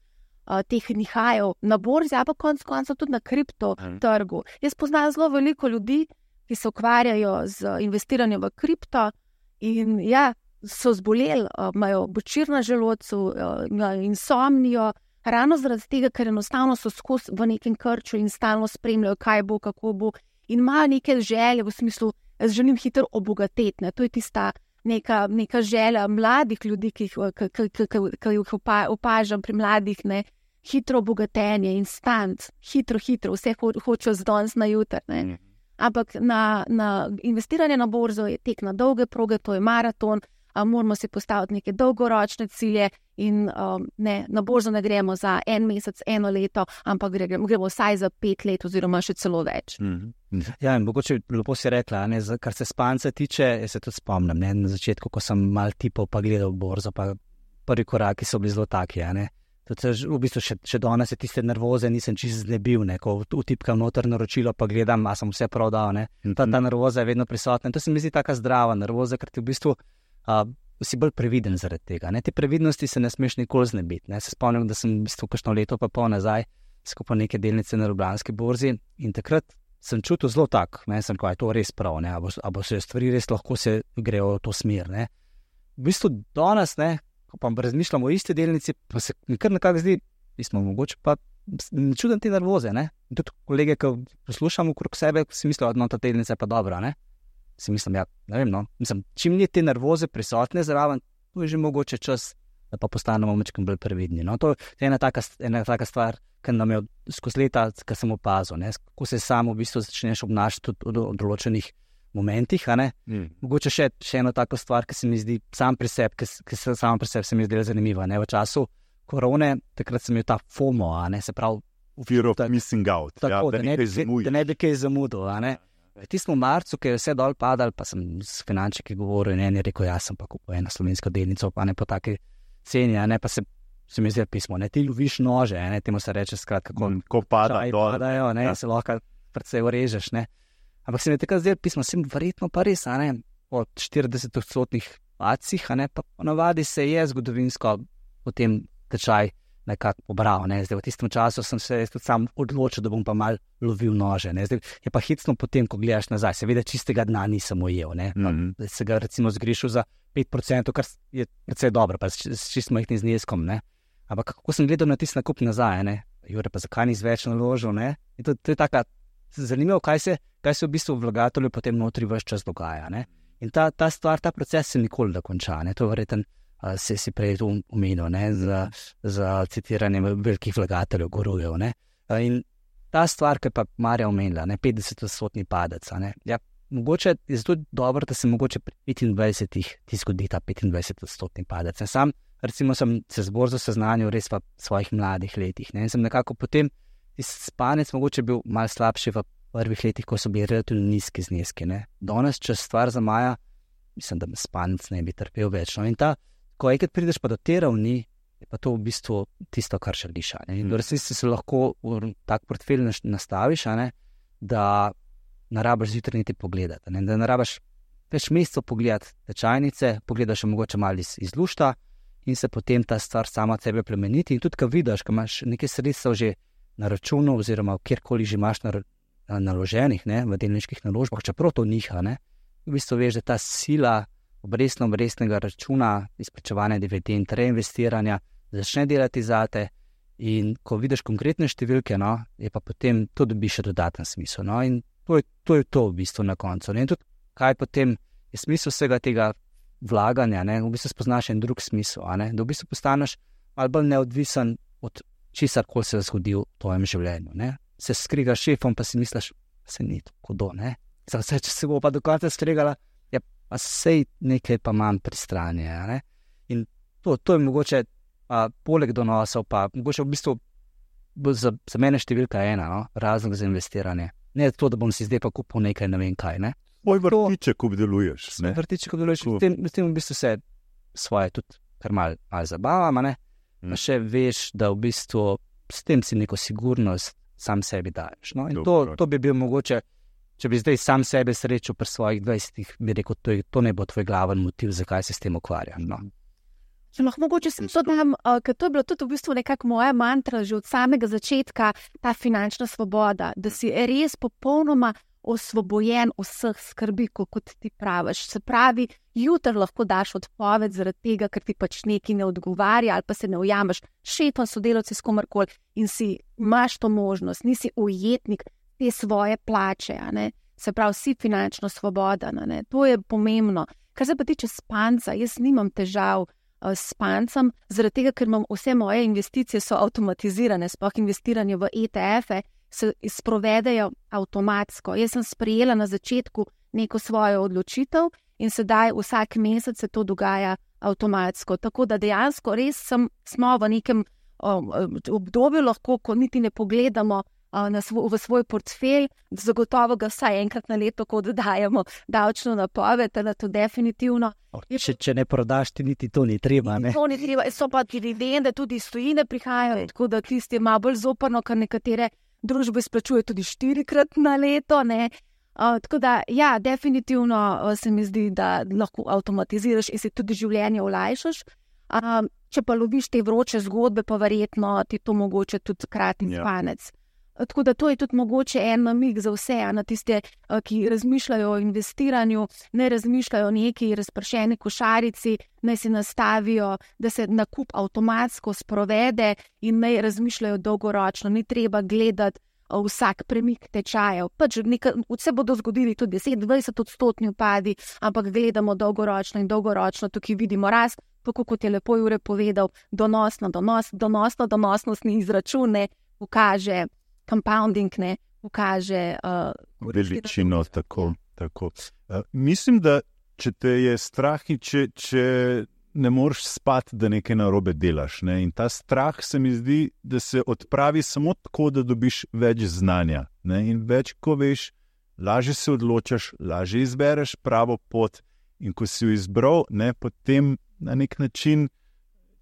uh, teh nihajev na borzi, a pa konec koncev tudi na kripto trgu. Jaz poznam zelo veliko ljudi, ki se ukvarjajo z investiranjem v kripto in ja, so zboleli, uh, imajo bočir na želodcu, uh, insomnijo, ravno zaradi tega, ker enostavno so skozi v nekem krču in stalno spremljajo, kaj bo, kako bo, in imajo neke želje v smislu, jaz želim hitro obogateti. Ne? To je tista neka, neka želja mladih ljudi, ki jih opažam pri mladih, ne? Hitro obogatenje, instant, hitro, hitro, vse ho hočejo z danes na jutr. Ne? Ampak na, na investiranje na borzo je tek na dolge proge, to je maraton, a moramo si postaviti neke dolgoročne cilje in um, ne, na borzo ne gremo za en mesec, eno leto, ampak gremo, gremo vsaj za pet let oziroma še celo več. Mm-hmm. Ja, in mogoče lepo si rekla, ne, kar se spanca tiče, jaz se tudi spomnim, ne, na začetku, ko sem mal tipov pa gledal borzo, pa prvi koraki so bili zelo taki, ja, ne. Tudi v bistvu še, še danes je tiste nervoze nisem čisto znebil, ne, ko utipkam noter naročilo, pa gledam, a sem vse prav dal, ne. Ta, ta nervoza je vedno prisotna in to se mi zdi taka zdrava nervoza, ker ti v bistvu Uh, si bolj previden zaradi tega. Ne? Te previdnosti se ne smeš nikoli znebiti. Ne? Se spomnim, da sem v bistvu kakšno leto pa pol nazaj skupaj neke delnice na Ljubljanski borzi in takrat sem čutil zelo tak, ne, sem kaj, to res prav, ne, a bo, a bo se stvari res lahko se grejo v to smer, ne. V bistvu danes, ne, ko pa razmišljamo o isti delnici, pa se mi kar nekako zdi, mi smo mogoče pa ne čudem te nervoze, ne. In tudi kolege, ki poslušamo okrog sebe, si mislijo, da no, ta delnica je pa dobra, ne. Si mislim, ja, ne vem, no, mislim, čim ni te nervoze prisotne zraven, to je že mogoče čas, da pa postanemo mečkim bolj previdni, no. To je ena taka, ena taka stvar, ki nam je skozi leta, ki sem opazil, ne, kako se samo v bistvu začneš obnašati v določenih momentih, a ne. Mm. Mogoče še, še eno tako stvar, ki se mi zdi sam pri sebi, ki, ki se samo pri sebi se mi zdi zanimiva, ne, v času korone, takrat sem imel ta FOMO, a ne, se pravi, fear of missing out, tako, ja, da, da, ne, da ne bi kaj zamudil, a ne. V tistem marcu, ki je vse dol padal, pa sem s finančniki govoril in en je rekel, jaz sem pa kupil eno slovensko delnico, pa ne po taki ceni, a ne, pa se, se mi zdi pismo, ne, ti loviš nože, ne, temu se reče skratka, ko, mm, ko pada dol, padajo, ne, ja. Se lahko predvsej urežeš, ne. Ampak se mi je takrat zdelo pismo, sem verjetno pa res, a ne, od štirideset odstotnih padcih, a ne, pa ponavadi se je zgodovinsko potem tečaj nekako pobral, ne, zdaj v tistem času sem se tudi sam odločil, da bom pa mal lovil nože, ne, zdaj je pa hitsno potem, ko gledaš nazaj, seveda čistega dna nisem ujel, ne, mm-hmm. se ga recimo zgrišil za pet procentov, kar je precej dobro, pa s čist majhnim zneskom, ne, ampak kako sem gledal na tisti nakup nazaj, ne, Jure, pa zakaj nisi več naložil, ne, in to, to je taka zanimivo, kaj se, kaj se v bistvu vlagatelju potem notri ves čas dogaja, ne, in ta, ta stvar, ta proces se nikoli da konča, ne, to je verjetno Uh, se si prej to omenil, ne, za, za citiranje velikih vlagateljev, gurujev, ne. Uh, in ta stvar, ki pa Marja omenila, ne, petdeset odstotni padec, ne, ja, mogoče je zato dobro, da se mogoče pri petindvajsetih ti zgodi ta petindvajset odstotni padec. Ne. Sam, recimo, sem se z borzo seznanil res v svojih mladih letih, ne, in sem nekako potem spanec mogoče bil malo slabši v prvih letih, ko so bili relativno nizki zneski, ne. Danes, če stvar zamaja, mislim, da me spanec ne bi trpel več. No. In ta, ko enkrat prideš pa do te ravni, je pa to v bistvu tisto, kar želiš. In v resnici se lahko v tak portfelj nastaviš, ne, da ne rabiš zjutraj niti pogledati, ne, da ne rabiš več mesecev pogledati tečajnice, pogledaš mogoče malo iz, iz lušta in se potem ta stvar sama od sebe plemeniti. In tudi, ko vidiš, ko imaš nekaj sredstev že na računu oziroma kjerkoli že imaš na, na, naloženih, ne, v delniških naložbah, čeprav to niha, ne, v bistvu veš, da ta sila obrestno-obrestnega računa, izplačevanja dividend, reinvestiranja, začne delati zate in ko vidiš konkretne številke, no, je pa potem to dobi še dodaten smisel. No, in to je, to je to v bistvu na koncu. Ne, in tudi kaj potem je smisel vsega tega vlaganja, ne, v bistvu spoznaš en drug smisel, a ne, da v bistvu postaneš malo bolj neodvisen od česar, koli se je zgodil v tvojem življenju. Ne. Se skrigaš šefom, pa si misliš, se ni tako do, ne. Vse, če se bo pa do konca skregala, ja, pa sej nekaj pa manj pri strani, ne. In to, to je mogoče a, poleg donosov, pa mogoče v bistvu za, za mene številka ena, no, razlog za investiranje. Ne to, da bom si zdaj pa kupil nekaj, ne vem kaj, ne. Tvoj vrtiček obdeluješ, ne. Vrtiček obdeluješ, s tem, s tem v bistvu se svoje tudi kar malo mal zabavam, ne. Pa še veš, da v bistvu s tem si neko sigurnost sam sebi daješ. No? In to, to bi bil mogoče, če bi zdaj sam sebe srečal pri svojih dvajsetih, bi rekel, to, je, to ne bo tvoj glaven motiv, zakaj se s tem ukvarjaš. No? Če lahko mogoče sem to dam, uh, ker to je bilo tudi v bistvu nekako moja mantra že od samega začetka, ta finančna svoboda, da si res popolnoma osvobojen vseh skrbi, kot ti praviš. Se pravi, jutri lahko daš odpoved zaradi tega, ker ti pač nekaj ne odgovarja ali pa se ne ujameš šefom, sodelavci s komarkoli in si imaš to možnost, nisi ujetnik te svoje plače, a ne? Se pravi, si finančno svoboden, a ne? To je pomembno. Kar se pa tiče spanca, jaz nimam težav uh, s spancem, zaradi tega, ker imam vse moje investicije so avtomatizirane, sploh investiranje v E T F-e, se sprovedejo avtomatsko. Jaz sem sprejela na začetku neko svojo odločitev in sedaj vsak mesec se to dogaja avtomatsko. Tako da dejansko res sem, smo v nekem um, obdobju lahko, ko niti ne pogledamo uh, na svo, v svoj portfelj, zagotovo ga vsaj enkrat na leto, ko dodajamo davčno napoved, da to definitivno. Če, če ne prodaš, ti niti to ni treba, ne? To ni treba, so pa dividende, tudi iz tujine prihajajo, tako da tisti je malo bolj zoprno, kar nekatere družbe splačuje tudi štirikrat na leto, ne. Uh, tako da, ja, definitivno uh, se mi zdi, da lahko avtomatiziraš in si tudi življenje olajšaš. Uh, če pa loviš te vroče zgodbe, pa verjetno ti to mogoče tudi krati spanec. Ja. Uh, tako da to je tudi mogoče en namig za vse, na tiste, uh, ki razmišljajo o investiranju, ne razmišljajo o neki razpršeni košarici, naj si nastavijo, da se nakup avtomatsko sprovede in naj razmišljajo dolgoročno. Ni treba gledati uh, vsak premik tečajev. Pač neka, vse bodo zgodili tudi deset dvajset odstotni upadi, ampak gledamo dolgoročno in dolgoročno tukaj vidimo rast, tako kot je lepo Jure povedal, donosno, donos, donosno, donosnostni izračun ne pokaže, compounding ne pokaže uh, veličino, tako, tako. Uh, mislim, da če te je strah in če, če ne moreš spati, da nekaj narobe delaš. Ne? In ta strah se mi zdi, da se odpravi samo tako, da dobiš več znanja. Ne? In več, ko veš, lažje se odločaš, lažje izbereš pravo pot in ko si jo izbral, ne, potem na nek način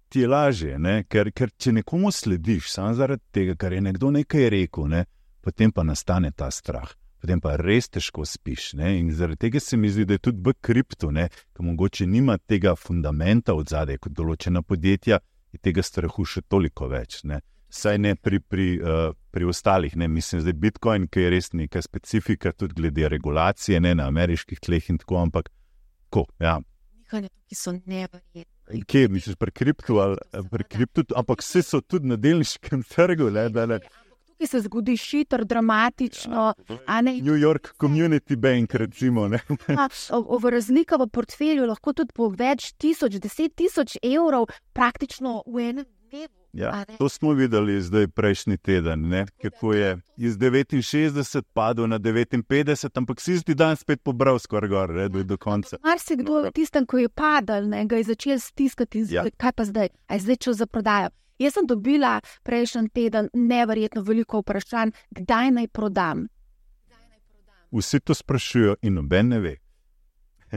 ti je lažje, ne? Ker, ker če nekomu slediš, samo zaradi tega, ker je nekdo nekaj rekel, ne? Potem pa nastane ta strah. Potem pa res težko spiš. Ne? In zaradi tega se mi zdi, da je tudi v kriptu, ki mogoče nima tega fundamenta od zadaj, kot določena podjetja, je tega strahu še toliko več. Ne? Saj ne pri, pri, uh, pri ostalih. Ne? Mislim, da je Bitcoin, ki je res neka specifika, tudi glede regulacije, ne? Na ameriških tleh in tako, ampak ko, ja. Nekaj, ki so neverjetni. Kje, misliš, pri kriptu ali pri kriptu, ampak vse so tudi na delniškem trgu, ne, da ne. Tukaj se zgodi šiter, dramatično, a ne. New York Community Bank, recimo, ne. V razlika v portfelju lahko tudi po več tisoč, deset tisoč evrov praktično v enem dnevu. Ja, to smo videli zdaj prejšnji teden, ne, kako je iz devetinšestdeset padel na devetinpetdeset, ampak si zdi dan spet pobral skoraj gor, ne, do, do konca. Marsikdo v tistem, ko je padal, ne, ga je začel stiskati, ja. Kaj pa zdaj, a je zdaj čas za prodajo. Jaz sem dobila prejšnji teden neverjetno veliko vprašanj, kdaj naj prodam. Vsi to sprašujejo in noben ne ve.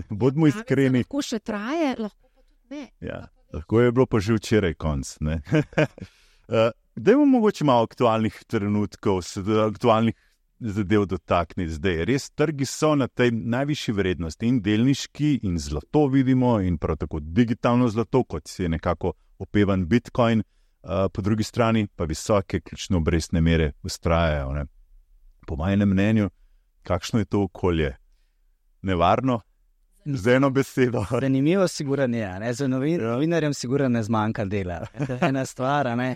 Bodimo iskreni. Lahko še traje, lahko pa tudi ne. Ja, lahko je bilo pa že včeraj konc. uh, Dajmo mogoče malo aktualnih trenutkov, aktualnih zadev dotakniti zdaj. Res, trgi so na tej najvišji vrednosti in delniški in zlato vidimo in prav tako digitalno zlato, kot si je nekako opevan Bitcoin, uh, po drugi strani pa visoke ključne obrestne mere vztrajajo. Ne? Po mojem mnenju, kakšno je to okolje? Nevarno? Z eno besedo. Zanimivo sigurno je, ne? Za novin, novinarjem sigurno ne zmanjka dela. To je ena stvar, ne?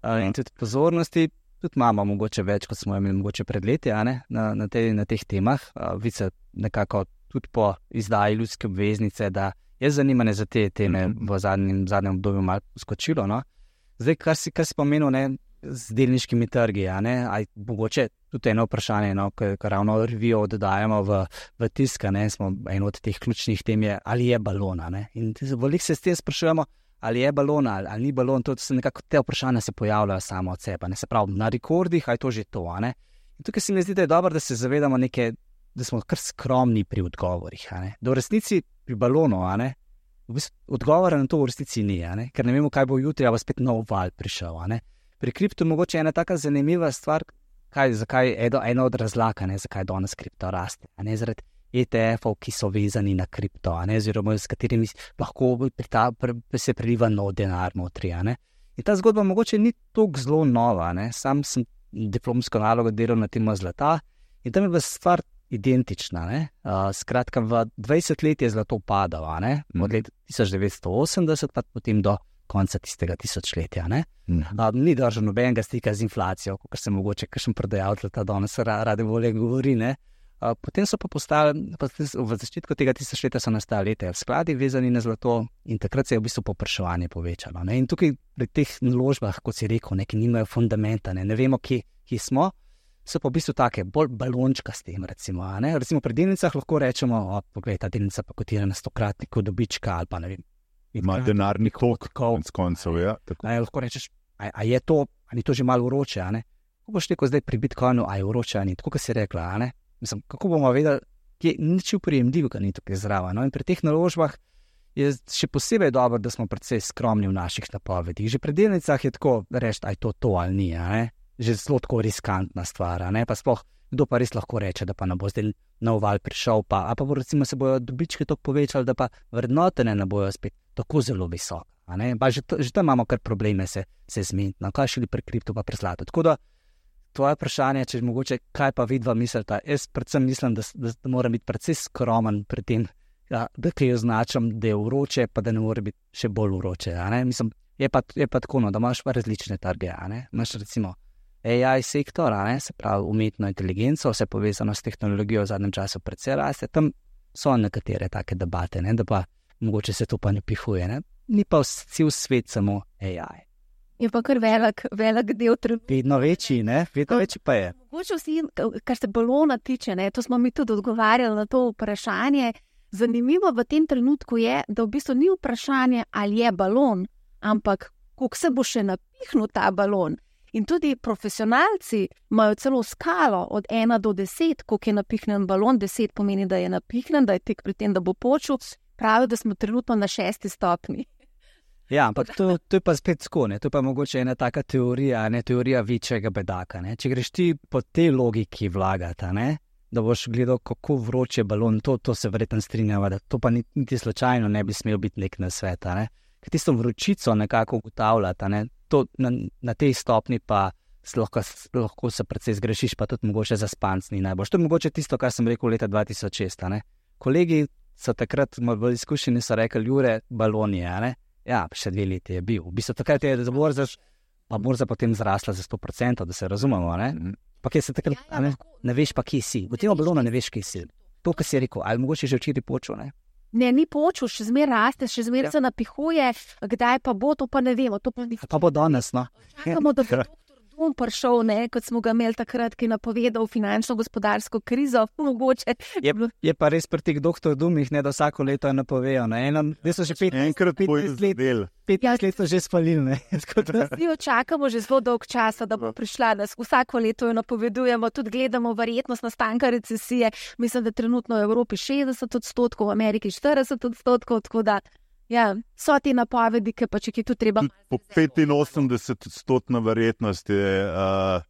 Uh, in tudi pozornosti. Tudi imamo mogoče več, kot smo imeli mogoče pred leti, na, na, te, na teh temah. Uh, Vice nekako tudi po izdaji ljudske obveznice, da je zanimanje za te teme v zadnjem, zadnjem obdobju malo skočilo. No? Zdaj, kar si, kar si pomenil, ne, z delniškimi trgi, ne, aj mogoče tudi eno vprašanje, no, ko ravno revijo oddajamo v, v tisk, ne, smo eno od teh ključnih tem je, ali je balona. Ne? In veliko se s tem sprašujemo, ali je balon ali, ali ni balon, to se nekako te vprašanja se pojavljajo samo od sebe, ne se pravi na rekordih, a je to že to, a ne. In tukaj se mi zdi, da je dobro, da se zavedamo neke, da smo kar skromni pri odgovorih, a ne. Da v resnici pri balonu, a ne, v bistvu odgovora na to v resnici ni, a ne, ker ne vemo, kaj bo jutri, a bo spet nov val prišel, a ne. Pri kriptu mogoče ena taka zanimiva stvar, kaj, zakaj je ena od razlag, a ne, zakaj danes kripto raste, a ne, zaradi E T F-ov, ki so vezani na kripto, a ne, oziroma s katerimi lahko prita, pre, se preliva nov denar notri, a ne. In ta zgodba mogoče ni toliko zelo nova, a ne. Sam sem diplomsko nalogo delal na temo zlata in tam je bila stvar identična, ne. Uh, skratka, v dvajset let je zlato padalo, a ne, od leta tisoč devetsto osemdeset pa potem do konca tistega tisočletja, ne. Uh, ni držal nobenega stika z inflacijo, kot se mogoče kakšen prodajalec zlata danes rade volje govori, ne. Uh, potem so pa postali, pa v začetku tega tisočletja so nastali E T F skladi vezani na zlato in takrat se je v bistvu povpraševanje povečalo. Ne? In tukaj pri teh naložbah, kot si rekel, neki nimajo fundamenta, ne, ne vemo, kje, kje smo, so pa v bistvu take bolj balončka s tem, recimo. Ne? Recimo pri delnicah lahko rečemo, o, poglej, ta delnica pa kotira na stokratniku dobička ali pa ne vem. Ima denarni tok, konc koncev, ja. Ne, lahko rečeš, a, a je to, ali to že malo vroče, a ne? Kako boš rekel zdaj pri Bitcoinu, a je vroče, a ni, tako kot si rekla, a ne? Mislim, kako bomo vedeli, kje nič uprijemljivega ni tukaj zraven. No? In pri teh naložbah je še posebej dobro, da smo precej skromni v naših napovedih. Že pri delnicah je tako reči, aj to to ali ni, a ne? Že zelo tako riskantna stvar, a ne? Pa sploh, kdo pa res lahko reče, da pa ne bo zdaj nov val prišel, pa, a pa bo recimo se bojo dobičke toliko povečali, da pa vrednotene ne bojo spet tako zelo visoke, a ne? Pa že, že tam imamo kar probleme se, se zmeniti, no? Kaj šli pri kriptu pa pri zlatu. Tako da tvoje vprašanje, če mogoče, kaj pa vidva mislita, jaz predvsem mislim, da, da, da moram biti precej skromen pri tem, ja, da kaj označam, da je vroče, pa da ne more biti še bolj vroče, a ne, mislim, je pa, je pa tako, no, da imaš pa različne trge, a ne, imaš recimo A I sektor, a ne, se pravi umetno inteligenco, vse povezano s tehnologijo v zadnjem času precej raste, tam so nekatere take debate, ne, da pa mogoče se to pa ne pihuje, ne, ni pa cel svet samo A I. Je pa kar velik, velik del trenutka. Vedno večji, ne? Vedno večji pa je. Mogoče vsi, kar se balona tiče, ne, to smo mi tudi odgovarjali na to vprašanje. Zanimivo v tem trenutku je, da v bistvu ni vprašanje, ali je balon, ampak koliko se bo še napihnil ta balon. In tudi profesionalci imajo celo skalo od ena do deset, koliko je napihnen balon. Deset pomeni, da je napihnen, da je tik pri tem, da bo počul. Pravijo, da smo trenutno na šesti stopni. Ja, ampak to, to je pa spet tako, ne? To je pa mogoče ena taka teorija, ne teorija večjega bedaka. Ne? Če greš ti po tej logiki vlagata, ne? Da boš gledal, kako vroče balon, to, to se verjetno strinjava, da to pa niti slučajno ne bi smel biti nek nasvet. Ne? Ker tisto vročico nekako ugotavljata, ne? To na, na tej stopni pa lahko, lahko se precej zgrešiš, pa tudi mogoče za spanc ni najbolj. To je mogoče tisto, kar sem rekel leta dva tisoč šest. Ne? Kolegi so takrat bolj izkušeni, so rekli, Jure, balon je, ne? Ja, še dve leti je bil. V bistvu takrat je za borza, pa borza potem zrasla za sto procentov, da se razumemo, ne? Pa kje se takrat, ja, ja, ne, ne veš pa, kje si. V tem balonu ne veš, kje si. To, kar si rekel, ali mogoče že včeraj počel, ne? Ne, ni počel, še zmer raste, še zmer ja. se napihuje, kdaj pa bo, to pa ne vemo. To pa, pa bo danes, no. Čakamo, da bo doktor bom prišel, ne, kot smo ga imeli takrat, ki je napovedal finančno-gospodarsko krizo, mogoče. Je, je pa res pri teh doktor Dumih, ne, da vsako leto je napovejo. Zdaj so že petnajst let, petnajst let so že spalili. Vsi očakamo že zelo dolg časa, da bo prišla. Nas vsako leto jo napovedujemo, tudi gledamo verjetnost nastanka recesije. Mislim, da trenutno v Evropi šestdeset odstotkov, v Ameriki štirideset odstotkov, tako da ja, so ti napovedi, ki pa če ki tu treba... Po petinosemdeset odstotna verjetnost je, uh,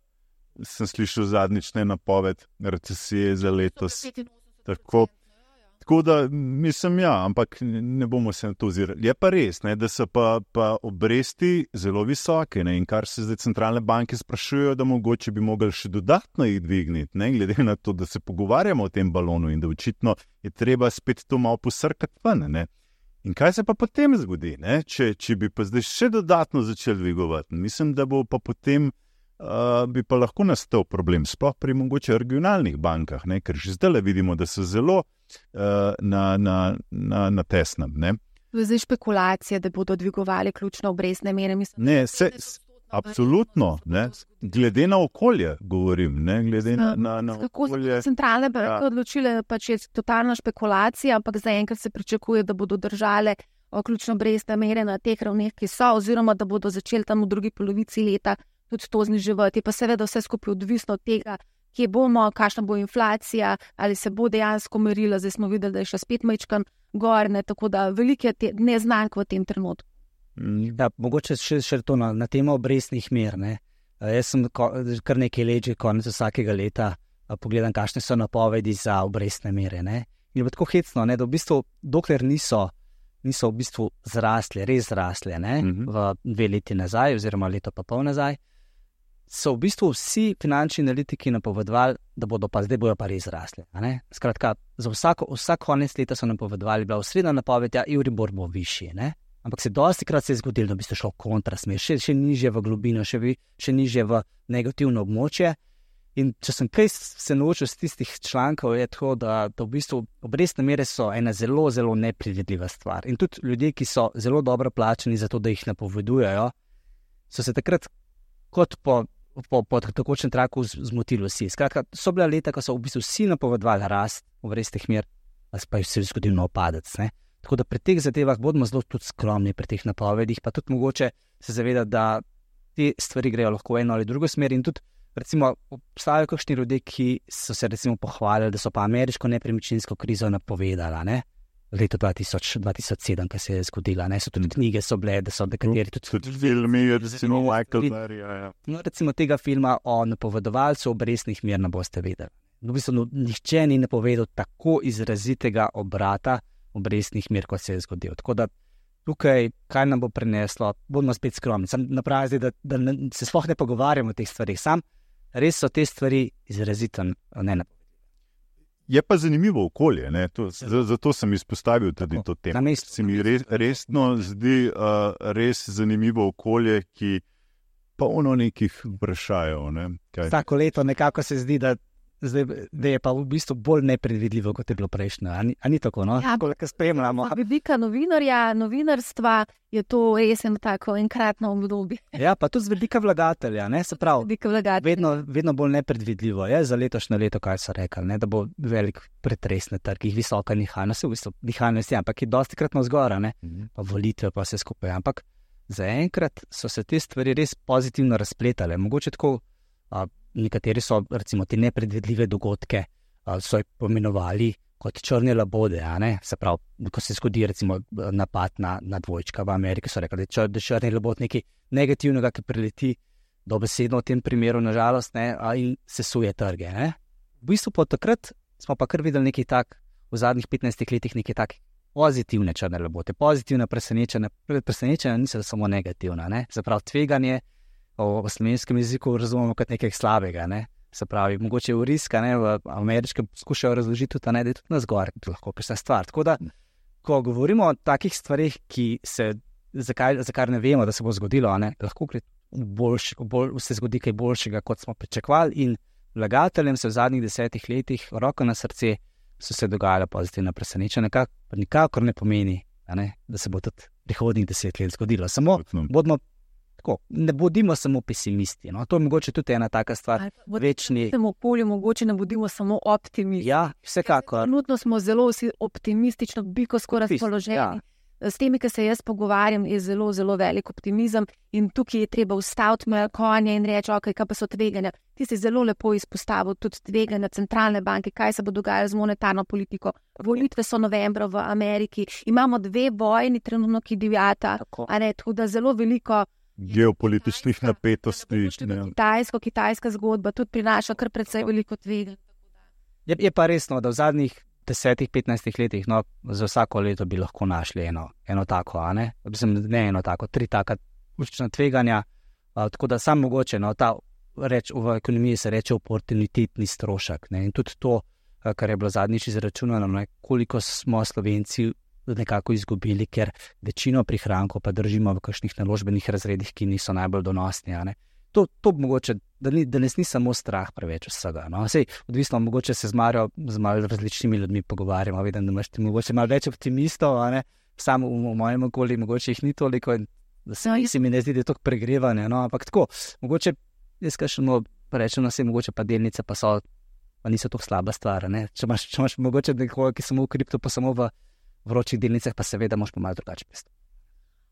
sem slišal zadnjične napoved recesije za letos. Tako, tako da, mislim, ja, ampak ne bomo se na to ozirali. Je pa res, ne, da so pa, pa obresti zelo visoke, ne, in kar se zdaj centralne banke sprašujejo, da mogoče bi mogli še dodatno jih dvigniti, ne, glede na to, da se pogovarjamo o tem balonu in da očitno je treba spet to malo posrkati ven, ne. In kaj se pa potem zgodi, ne? Če, če bi pa zdaj še dodatno začeli dvigovati? Mislim, da bo pa potem uh, bi pa lahko nastal problem, sploh pri mogoče regionalnih bankah, ne? Ker že zdaj vidimo, da so zelo uh, na, na, na, na tesnem. Ne? To je zdaj špekulacija, da bodo dvigovali ključne obrestne mere. Mislim, ne, se... Absolutno, ne? Glede na okolje govorim, ne? Glede na, na, na okolje. Kako so centralne banke ja. odločile, pač je totalna špekulacija, ampak zaenkrat se pričakuje, da bodo držale ključno obrestne mere na teh ravneh, ki so, oziroma da bodo začeli tam v drugi polovici leta tudi to zniževati. Pa seveda vse skupaj odvisno od tega, kje bomo, kakšna bo inflacija, ali se bo dejansko merila. Zdaj smo videli, da je še spet majčkan gor, ne? Tako da veliko je neznank v tem trenutku. Da, mogoče še, še to na, na temo obrestnih mer. Ne. Jaz sem ko, kar nekaj let, že konec vsakega leta pogledam, kakšne so napovedi za obrestne mere. Ne. In je tako hecno, ne, da v bistvu, dokler niso, niso v bistvu zrasle, res zrasle, ne, mm-hmm. v dve leti nazaj, oziroma leto pa pol nazaj, so v bistvu vsi finančni analitiki napovedovali, da bodo pa zdaj bojo pa res zrasle. Ne. Skratka, za vsako, vsak konec leta so napovedovali, bila osrednja napoved, ja, Euribor bo višji, ne. Ampak se dosti krat se je zgodilo, da bi se šlo kontrasmer, še, še nižje v globino, še, vi, še nižje v negativno območje. In če sem kaj se naučil z tistih člankov, je to, da, da v bistvu obrestne mere so ena zelo, zelo nepredvidljiva stvar. In tudi ljudje, ki so zelo dobro plačani za to, da jih napovedujejo, so se takrat kot po, po, po takočnem traku zmotili vsi. Skratka, so bila leta, ko so v bistvu vsi napovedovali rast obrestnih mer, pa je se zgodil nov padec, ne. Tako da pri teh zadevah bodimo zelo tudi skromni pri teh napovedih, pa tudi mogoče se zavedati, da te stvari grejo lahko v eno ali drugo smer. In tudi, recimo, obstajajo kakšni ljudje, ki so se recimo pohvalili, da so pa ameriško nepremičninsko krizo napovedala, ne? Leto dva tisoč, dva tisoč sedem, ki se je zgodila, ne? So tudi knjige so bile, da so nekateri tudi... Tudi filmi, recimo Michael Berry, ja, ja. No, recimo tega filma o napovedovalcu obrestnih mer ne boste vedeli. V bistvu, no, nihče ni napovedal tako izrazitega obrata obrestnih mer, kot se je zgodil. Tako da tukaj, kaj nam bo prineslo, bomo spet skromni. Sam napravi, da, da ne, se sploh ne pogovarjamo o teh stvarih. Sam res so te stvari izrazito ne napovedali. Je pa zanimivo okolje, ne? To, zato sem izpostavil tudi to temo. Se mi res, resno zdi uh, res zanimivo okolje, ki polno nekih vprašajo. Ne? Vsako leto nekako se zdi, da Zdaj, da je pa v bistvu bolj nepredvidljivo, kot je bilo prejšnje. A ni, a ni tako, no? Ja, tako, spremljamo. Z vidika novinarja, novinarstva je to res eno tako enkratno obdobje. Ja, pa tudi z vidika vlagatelja, ne, se pravi, vedno, vedno bolj nepredvidljivo je za letošnje leto, kaj so rekli, ne, da bo velik pretres na trgih, visoka nihajnost, v bistvu nihajnost je, ampak je dosti krat navzgora, ne, mm-hmm. pa volitve pa vse skupaj, ampak zaenkrat so se te stvari res pozitivno razpletale, mogoče tako. A, nekateri so, recimo, te nepredvidljive dogodke a, so jih pomenovali kot črne labode, a ne? Se pravi, ko se zgodi, recimo, napad na, na dvojčka v Ameriki, so rekli, da je črni labod nekaj negativnega, ki prileti dobesedno v tem primeru, nažalost, ne, a, in sesuje trge, ne? V bistvu pa takrat smo pa kar videli nekaj tak, v zadnjih petnajstih letih nekaj tak pozitivne črne labote, pozitivne presenečenja, presenečenja niso samo negativna, ne? Se pravi, tveganje v slovenskem jeziku razumemo kot nekaj slabega, ne? Se pravi, mogoče v riska, ne, v ameriškem skušajo razložiti tudi, ne, da je tudi nas gor, lahko kakšna stvar. Tako da, ko govorimo o takih stvarih, ki se, zakaj, za kar ne vemo, da se bo zgodilo, ne, lahko boljš, bolj, se zgodi kaj boljšega, kot smo pričakovali, in vlagateljem se v zadnjih desetih letih, roko na srce, so se dogajale pozitivne presenečenja, pa nikakor ne pomeni, ne, da se bo tudi prihodnjih deset let zgodilo. Samo bodimo tako, ne bodimo samo pesimisti. No? To je mogoče tudi ena taka stvar. Večni... V tem okolju mogoče ne bodimo samo optimisti. Ja, vsekakor. Trenutno smo zelo vsi optimistično, biko skoraj razpoloženi. Ja. S temi, ki se jaz pogovarjam, je zelo, zelo velik optimizem in tukaj je treba ustaviti moje konje in reči, ok, kaj pa so tveganja. Ti si zelo lepo izpostavil tudi tveganja centralne banke, kaj se bo dogajalo z monetarno politiko. Volitve so novembra v Ameriki, imamo dve vojni trenutno, ki divjata, a ne, tako da zelo veliko geopolitičnih napetosti. Kitajsko, kitajska zgodba tudi prinaša kar precej veliko tveganja. Je, je pa resno, da v zadnjih desetih, petnajstih letih, no, za vsako leto bi lahko našli eno, eno tako, a ne? Mislim, ne eno tako, tri taka učna tveganja, a, tako da sam mogoče, no, ta reč, v ekonomiji se reče oportunitetni strošek, ne? In tudi to, kar je bilo zadnjič izračunano, ne? Koliko smo Slovenci nekako izgubili, ker večino prihrankov pa držimo v kakšnih naložbenih razredih, ki niso najbolj donosni, a ne? To, to mogoče, da, ni, da nes ni samo strah preveč vsega. No? Sej, odvisno, mogoče se z Marijo, z malo različnimi ljudmi pogovarjamo, vidim, da imaš ti mogoče malo več optimistov, a ne? Sam v, v mojem okolju mogoče jih ni toliko, da se, no, se mi ne zdi, da je toliko pregrevanje, no? Ampak tako, mogoče, jaz kažemo, rečem na se, mogoče pa delnice pa so, pa niso toliko slaba stvar, ne? Če imaš, če imaš mogoče nekoga, ki samo v kripto, pa samo v vročih delnicah, pa seveda moš pa malo drugače pristopiti.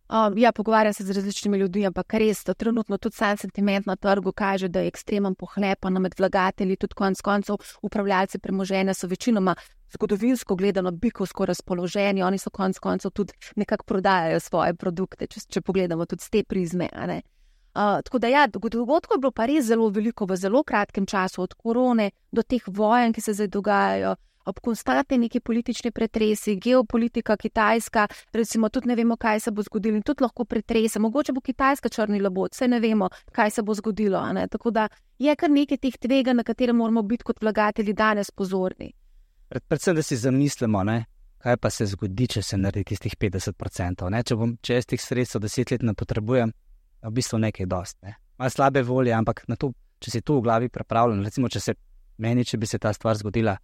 Um, ja, pogovarjam se z različnimi ljudmi, ampak res, to trenutno tudi sam sentiment na trgu kaže, da je ekstremen pohlepa med vlagatelji, tudi konec koncev upravljalci premoženja so večinoma zgodovinsko gledano bikovsko razpoloženi, oni so konec koncev tudi nekako prodajajo svoje produkte, če, če pogledamo tudi z te prizme, a ne. Uh, tako da ja, dogodkov je bilo pa res zelo veliko v zelo kratkem času, od korone do teh vojen, ki se zdaj dogajajo, ob konstantni neki politični pretresi, geopolitika, Kitajska, recimo tudi ne vemo, kaj se bo zgodilo in tudi lahko pretrese. Mogoče bo Kitajska črni labod, saj ne vemo, kaj se bo zgodilo. A ne? Tako da je kar nekaj teh tveganj, na katere moramo biti kot vlagatelji danes pozorni. Pred, predvsem, da si zamislimo, ne? Kaj pa se zgodi, če se naredi tistih petdeset procentov. Ne? Če bom če jaz teh sredstev deset let ne potrebujem, v bistvu nekaj dost. Ne? Malo slabe volje, ampak na to, če si to v glavi pripravljen, recimo, če se meni, če bi se ta stvar zgodila,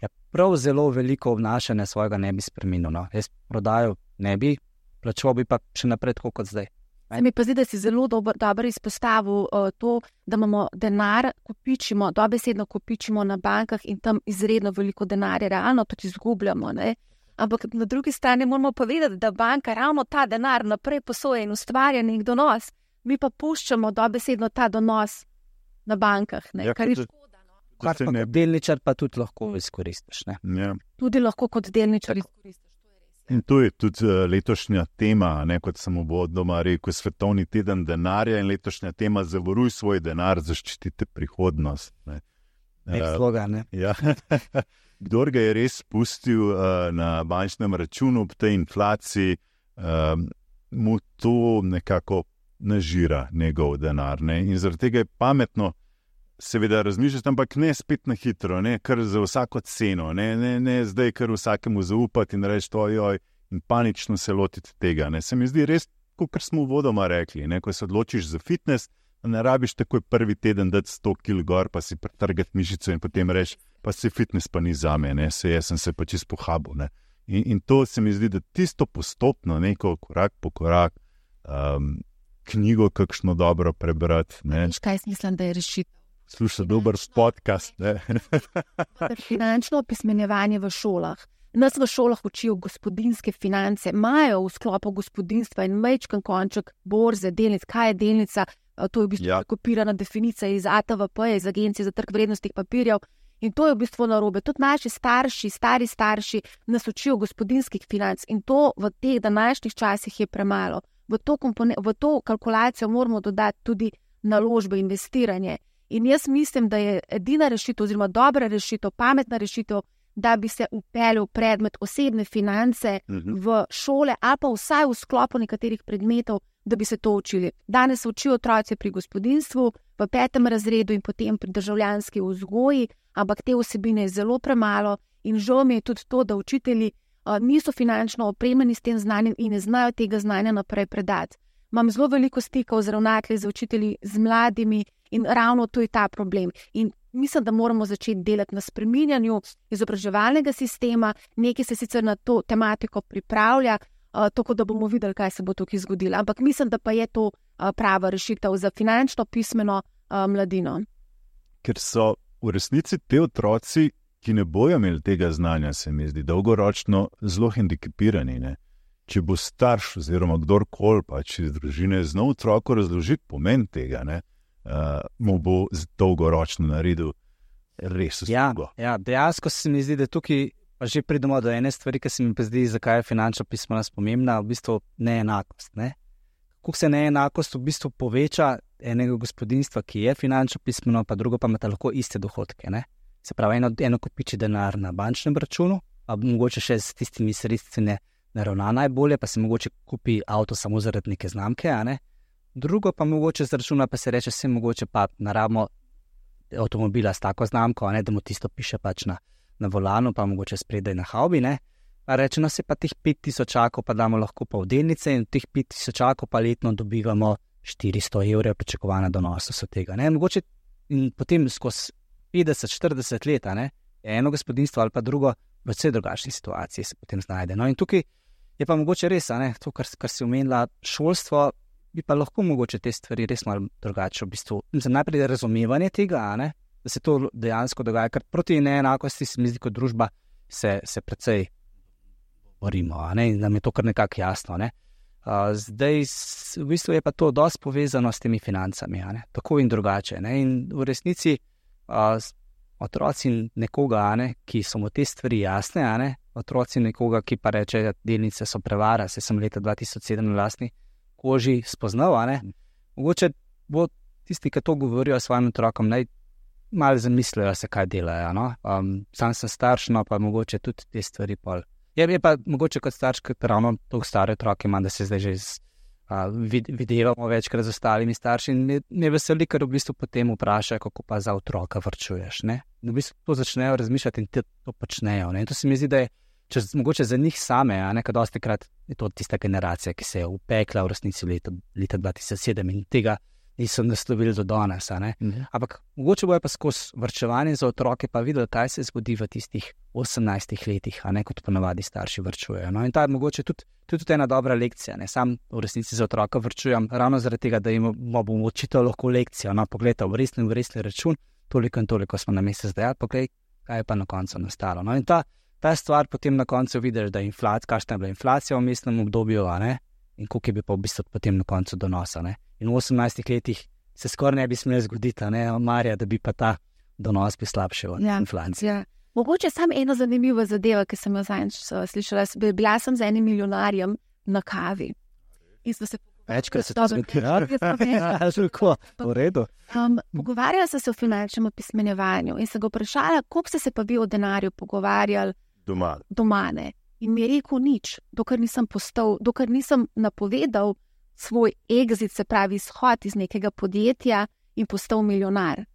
ja, prav zelo veliko obnašanja svojega ne bi spremenil. No. Jaz prodajo ne bi, plačal bi pa še naprej tako kot zdaj. Se mi pa zdi, da si zelo dobro, dobro izpostavil uh, to, da imamo denar, kopičimo, dobesedno kopičimo na bankah in tam izredno veliko denarja, realno tudi izgubljamo. Ne? Ampak na drugi strani moramo povedati, da banka ravno ta denar naprej posoja in ustvarja nek donos. Mi pa puščamo dobesedno ta donos na bankah, ne? Ja, kar je škoda. Kar pa kot delničar pa tudi lahko izkoristiš. Ne? Ja. Tudi lahko kot delničar izkoristiš. In to je tudi letošnja tema, ne, kot sem uvodoma rekel, svetovni teden denarja in letošnja tema zavaruj svoj denar, zaščitite prihodnost. Ne. Nek slogan, ne? Ja. Kdor ga je res pustil uh, na bančnem računu ob tej inflaciji, uh, mu to nekako nažira njegov denar. Ne. In zaradi tega je pametno seveda razmišljati, ampak ne spet na hitro, ne, kar za vsako ceno, ne, ne, ne zdaj kar vsakemu zaupati in reči ojoj in panično se lotiti tega. Ne. Se mi zdi res, kot smo uvodoma rekli, ne, ko se odločiš za fitness, ne rabiš takoj prvi teden dati sto kil gor, pa si pretrgati mišico in potem reči, pa si fitness pa ni zame, ne, se jaz sem se pa čisto pohabil. Ne. In, in to se mi zdi, da tisto postopno, neko korak po korak, um, knjigo kakšno dobro prebrati. Ne. Kaj mislim, da je rešitev? Sluša dober podcast. Finančno opismenjevanje v šolah. Nas v šolah učijo gospodinjske finance, imajo v sklopu gospodinjstva in majčken konček borze, delnic, kaj je delnica, to je v bistvu ja. kopirana definicija iz A T V P, iz Agencije za trg vrednostnih papirjev in to je v bistvu narobe. Tudi naši starši, stari starši nas učijo gospodinjskih financ in to v teh današnjih časih je premalo. V to, kompone- v to kalkulacijo moramo dodati tudi naložbe, investiranje. In jaz mislim, da je edina rešitev oziroma dobra rešitev, pametna rešitev, da bi se upeljal predmet osebne finance v šole ali pa vsaj v sklopu nekaterih predmetov, da bi se to učili. Danes se učijo otroci pri gospodinjstvu, v petem razredu in potem pri državljanski vzgoji, ampak te vsebine je zelo premalo in žal mi je tudi to, da učitelji uh, niso finančno opremljeni s tem znanjem in ne znajo tega znanja naprej predati. Imam zelo veliko stikov z ravnatelji, z učitelji, z mladimi in ravno to je ta problem. In mislim, da moramo začeti delati na spreminjanju izobraževalnega sistema, nekaj se sicer na to tematiko pripravlja, uh, tako da bomo videli, kaj se bo tukaj zgodilo. Ampak mislim, da pa je to uh, prava rešitev za finančno pismeno uh, mladino. Ker so v resnici te otroci, ki ne bojo imeli tega znanja, se mi zdi, dolgoročno zelo hendikepirani, ne? Če bo starš oziroma kdorkoli pač iz družine znal otroku razložiti pomen tega, ne, uh, mu bo dolgoročno naredil res uslugo. Ja, ja, dejansko se mi zdi, da tukaj pa že pridemo do ene stvari, ki se mi pa zdi, zakaj je finančna pismenost pomembna, v bistvu neenakost. Ne? Kako se neenakost v bistvu poveča enega gospodinjstva, ki je finančno pismeno, pa drugo pa imate lahko iste dohodke. Ne? Se pravi, eno, eno kopiči denar na bančnem računu, pa mogoče še s tistimi sredstvi ne naravna najbolje, pa se mogoče kupi avto samo zaradi neke znamke, a ne? Drugo pa mogoče z računa pa se reče, vse mogoče pa naravno avtomobila s tako znamko, a ne, da mu tisto piše pač na, na volanu, pa mogoče spredaj na havbi, ne? Pa reče, no se pa teh pet tisočakov pa damo lahko pa v delnice in teh pet tisočakov pa letno dobivamo štiristo evrov pričakovana donosnost od tega, ne? Mogoče in potem skozi petdeset štirideset let, a ne, je eno gospodinjstvo ali pa drugo v vse drugačni situaciji se potem znajde. No in tukaj je pa mogoče res, a ne, to, kar, kar si omenila, šolstvo, bi pa lahko mogoče te stvari res malo drugače v bistvu. Mislim, najprej razumevanje tega, a ne, da se to dejansko dogaja, ker proti neenakosti se mi zdi kot družba se, se precej borimo, a ne, in nam je to kar nekako jasno, ne. Uh, zdaj, v bistvu je pa to dosti povezano s temi financami, a ne, tako in drugače, ne, in v resnici uh, otroci nekoga, a ne, ki so mu te stvari jasne, a ne, otroci nekoga, ki pa reče, da delnice so prevara, se sem leta dva tisoč sedem na lastni koži spoznal, a ne, mogoče bo tisti, ki to govorijo svojim otrokom, naj malo zamislijo se, kaj delajo, no, um, sam sem starš, no, pa mogoče tudi te stvari pol. Je, je pa mogoče kot starš, kot ravno toliko stare otroke imam, da se zdaj že z, uh, vid, videvamo večkrat z ostalimi starši in me, me veseli, ker v bistvu potem vprašajo, kako pa za otroka varčuješ, ne. V bistvu to začnejo razmišljati in te to počnejo, ne. In to se mi zdi, da je čez, mogoče za njih same, a ne, kad dosti krat je to tista generacija, ki se je upekla v resnici leta, leta dva tisoč sedem in tega niso naslovili do danes, a ne. Mhm. Ampak mogoče bojo pa skozi varčevanje za otroke pa videli, kaj se zgodi v tistih osemnajstih letih, a ne, kot ponavadi starši varčujejo. No in ta je mogoče tudi, tudi ena dobra lekcija, ne. Sam v resnici za otroka varčujem ravno zaradi tega, da jim bom učitelj lahko lekcijo, no, pogledaj, v resni, v resni račun, toliko in toliko smo na mesec dajali, poglej, kaj je pa na koncu nastalo. No in ta, ta stvar potem na koncu vidiš, da je inflacija, kakšna je bila inflacija v mestnem obdobju, a ne, in koliko je bi pa v bistvu potem na koncu donosa, ne. In v osemnajstih letih se skoraj ne bi smeli zgoditi, ne, Marja, da bi pa ta donos bi slabši od ja, inflacije. Ja. Mogoče samo eno zanimivo zadevo, ki sem jo zadnjič slišala. Bila sem z enim milijonarjem na kavi. Večkrat se to zgodi. V redu. Um, pogovarjala sem se o finančnem opismenjevanju in se ga vprašala, koliko ste se pa vi o denarju pogovarjali doma. doma, ne. In mi je rekel nič, dokler nisem postal, dokler nisem napovedal svoj exit, se pravi izhod iz nekega podjetja in postal milijonar.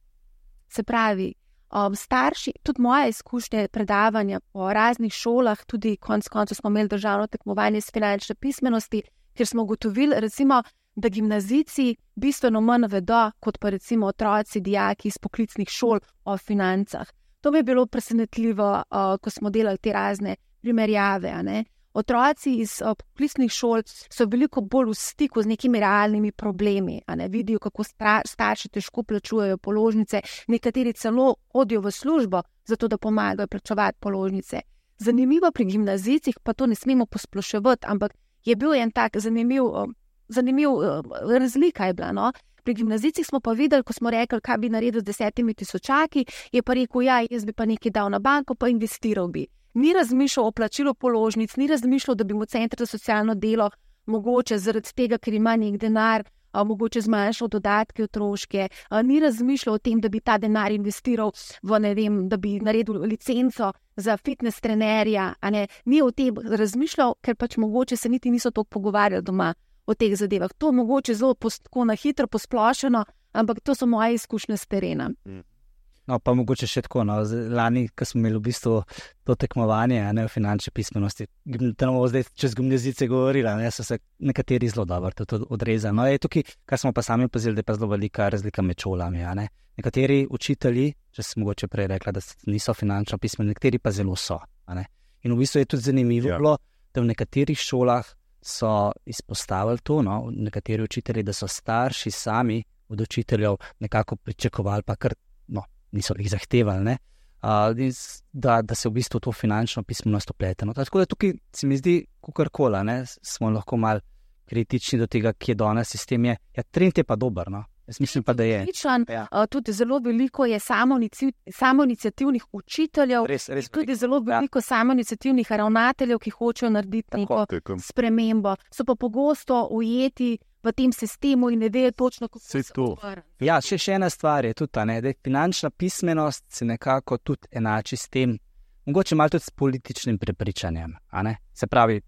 Se pravi, um, starši, tudi moja izkušnja predavanja po raznih šolah, tudi konc koncev smo imeli državno tekmovanje iz finančne pismenosti, kjer smo ugotovili, recimo, da gimnazijci bistveno manj vedo, kot pa recimo otroci, dijaki iz poklicnih šol o financah. To mi je bilo presenetljivo, uh, ko smo delali te razne primerjave, a ne. Otroci iz uh, poklicnih šol so veliko bolj v stiku z nekimi realnimi problemi, a ne, vidijo, kako starši težko plačujejo položnice, nekateri celo hodijo v službo, zato da pomagajo plačevati položnice. Zanimivo pri gimnazijcih, pa to ne smemo posploševati, ampak je bil en tak zanimiv, uh, zanimiv uh, razlika je bila, no. Pri gimnazijcih smo pa videli, ko smo rekli, kaj bi naredil z desetimi tisočaki, je pa rekel, ja, jaz bi pa nekaj dal na banko, pa investiral bi. Ni razmišljal o plačilu položnic, ni razmišljal, da bi mu center za socialno delo mogoče zaradi tega, ker ima nek denar, a, mogoče zmanjšal dodatke otroške, a, ni razmišljal o tem, da bi ta denar investiral v, ne vem, da bi naredil licenco za fitness trenerja, a ne, ni o tem razmišljal, ker pač mogoče se niti niso toliko pogovarjali doma o teh zadevah. To mogoče zelo tako na hitro posplošeno, ampak to so moje izkušnje s terena. No, pa mogoče še tako, no, lani, ko smo imeli v bistvu to tekmovanje, ne, v finančni pismenosti, tam bomo zdaj čez gimnazice govorila, ne, so se nekateri zelo dobro tudi odrezali. No, je tukaj, kar smo pa sami opazili, da je pa zelo velika razlika med šolami, a ne. Nekateri učitelji, če sem mogoče prej rekla, da niso finančno pismeni, nekateri pa zelo so, a ne. In v bistvu je tudi zanimivo ja. bilo, da v nekaterih šolah so izpostavili to, no, nekateri učitelji, da so starši sami od učiteljev nekako pričakovali, pa kar no, niso jih zahtevali, ne, uh, da, da se v bistvu to finančno pismenost uplete. No. Tako da tukaj se mi zdi, kakorkoli, ne, smo lahko malo kritični do tega, ki je danes sistem. Je. Ja, trend je pa dober, no. Jaz mislim pa, da je. Odličen, ja. uh, tudi zelo veliko je samoiniciativnih učiteljev, res, res tudi zelo veliko ja. samoiniciativnih ravnateljev, ki hočejo narediti neko spremembo. So pa pogosto ujeti v tem sistemu in ne vejo točno, kako se to odvrne. Ja, še, še ena stvar je tudi ta, ne, da je finančna pismenost se nekako tudi enači s tem, mogoče malo tudi s političnim prepričanjem, a ne? Se pravi,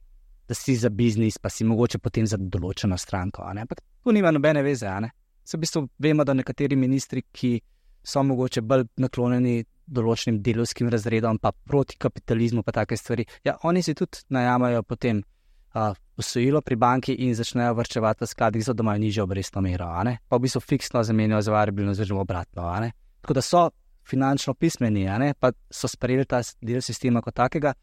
da si za biznis, pa si mogoče potem za določeno stranko, a ne? Ampak tu nima nobene veze, a ne? Se v bistvu vemo, da nekateri ministri, ki so mogoče bolj naklonjeni določenim delovskim razredom, pa proti kapitalizmu, pa take stvari, ja, oni si tudi najamajo potem uh, posojilo pri banki in začnejo varčevati v skladih, zato da imajo nižjo obrestno mero, a ne? Pa v bistvu fiksno zamenjajo za variabilno oziroma obratno, a ne? Tako da so finančno pismeni, a ne? Pa so sprejeli ta del sistema kot takega.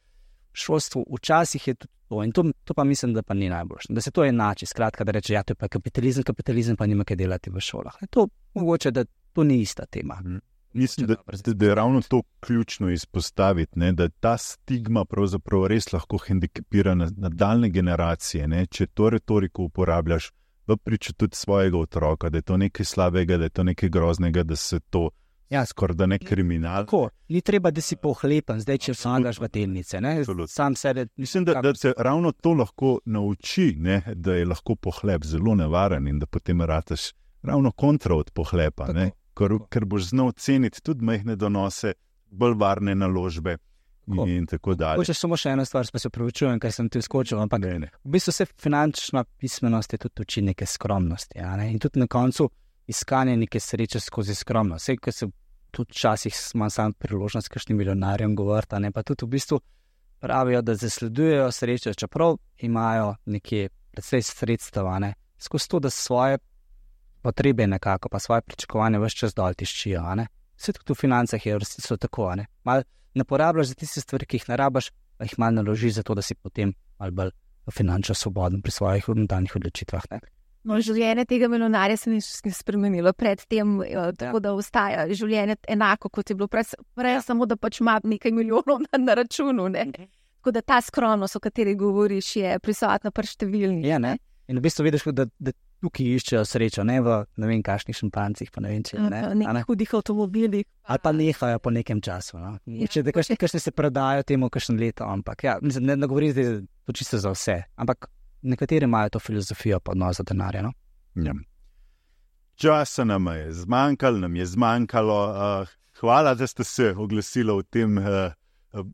V šolstvu včasih je tudi to in to, to pa mislim, da pa ni najboljše. Da se to enači, skratka, da reče, ja, to je pa kapitalizem, kapitalizem pa nima kaj delati v šolah. To mogoče, da to ni ista tema. Hmm. Mislim, da, da, da je ravno to ključno izpostaviti, ne, da ta stigma pravzaprav res lahko hendikepira na nadaljne generacije, ne, če to retoriko uporabljaš v priču tudi svojega otroka, da je to nekaj slabega, da je to nekaj groznega, da se to ja, skoraj da ne kriminal. Tako, ni treba, da si pohlepen, zdaj, če vsagaš v delnice. Ne? Sam sebe, Mislim, da, da se ravno to lahko nauči, ne? Da je lahko pohlep zelo nevaren in da potem rataš ravno kontra od pohlepa, ne? Ker, ker boš znal ceniti tudi majhne donose, bolj varne naložbe in, in tako dalje. Hočeš samo še eno stvar, pa se opravičujem, kaj sem ti skočil, ampak ne, ne. V bistvu se finančna pismenost je tudi uči neke skromnosti. Ja, ne? In tudi na koncu iskanje neke sreče skozi skromnost. Vse, ko se tudi včasih imam sam priložnost s kakšnim milijonarjem govoriti, ne, pa tudi v bistvu pravijo, da zasledujejo srečo, čeprav imajo nekje precej sredstva, ne, skozi to, da svoje potrebe nekako, pa svoje pričakovanje ves čas dol tiščijo, ne. Vse tudi v financah je so tako, ne. Mal ne porabljaš za tiste stvari, ki jih ne rabaš, pa jih malo naložiš za to, da si potem malo bolj finančno svoboden pri svojih nadaljnjih odločitvah, ne. No, življenje tega milijonarja se ni spremenilo pred tem, tako ja. Da ostaja življenje enako, kot je bilo prej, prej samo da pač ima nekaj milijonov na, na računu. Ne? Tako da ta skromnost, o kateri govoriš, je prisotna pri številnih. Ja, ne? In v bistvu vidiš, da, da tukaj iščejo srečo, ne v ne vem kakšnih šampancih, pa ne vem če. Ne? Nekih hudih avtomobilih. Ali pa nehajo po nekem času. No? Ja. Če kakšne se prodajo temu kakšen leto, ampak ja, ne, ne govorim, da je to čisto za vse, ampak nekateri imajo to filozofijo pa odnos do denarja. No? Ja. Časa nam je zmanjkalo, nam je zmanjkalo. Uh, hvala, da ste se oglasili v tem uh,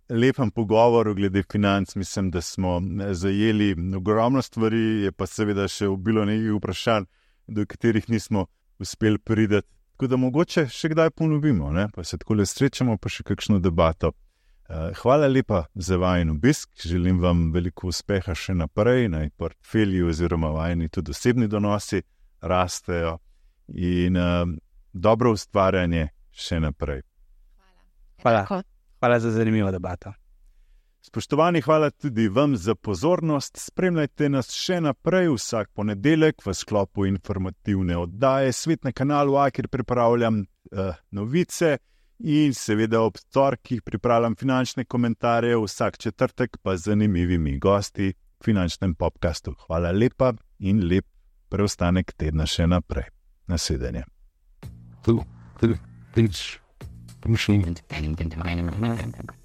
lepem pogovoru glede financ. Mislim, da smo zajeli ogromno stvari, je pa seveda še bilo nekaj vprašanj, do katerih nismo uspeli priti. Tako da mogoče še kdaj ponovimo, ne? Pa se takole srečamo, pa še kakšno debato. Hvala lepa za vajen obisk, želim vam veliko uspeha še naprej, naj portfelji oziroma vajeni tudi osebni donosi rastejo in uh, dobro ustvarjanje še naprej. Hvala. Hvala za zanimivo debato. Spoštovani, hvala tudi vam za pozornost. Spremljajte nas še naprej vsak ponedeljek v sklopu informativne oddaje Svet na kanalu A, kjer pripravljam uh, novice. In seveda ob torkih pripravljam finančne komentarje, vsak četrtek pa z zanimivimi gosti v finančnem podcastu. Hvala lepa in lep preostanek tedna še naprej. Nasvidenje. Tu, tu, tu, tu, tu, tu, tu, tu, tu, tu, tu, tu, tu, tu, tu, tu, tu,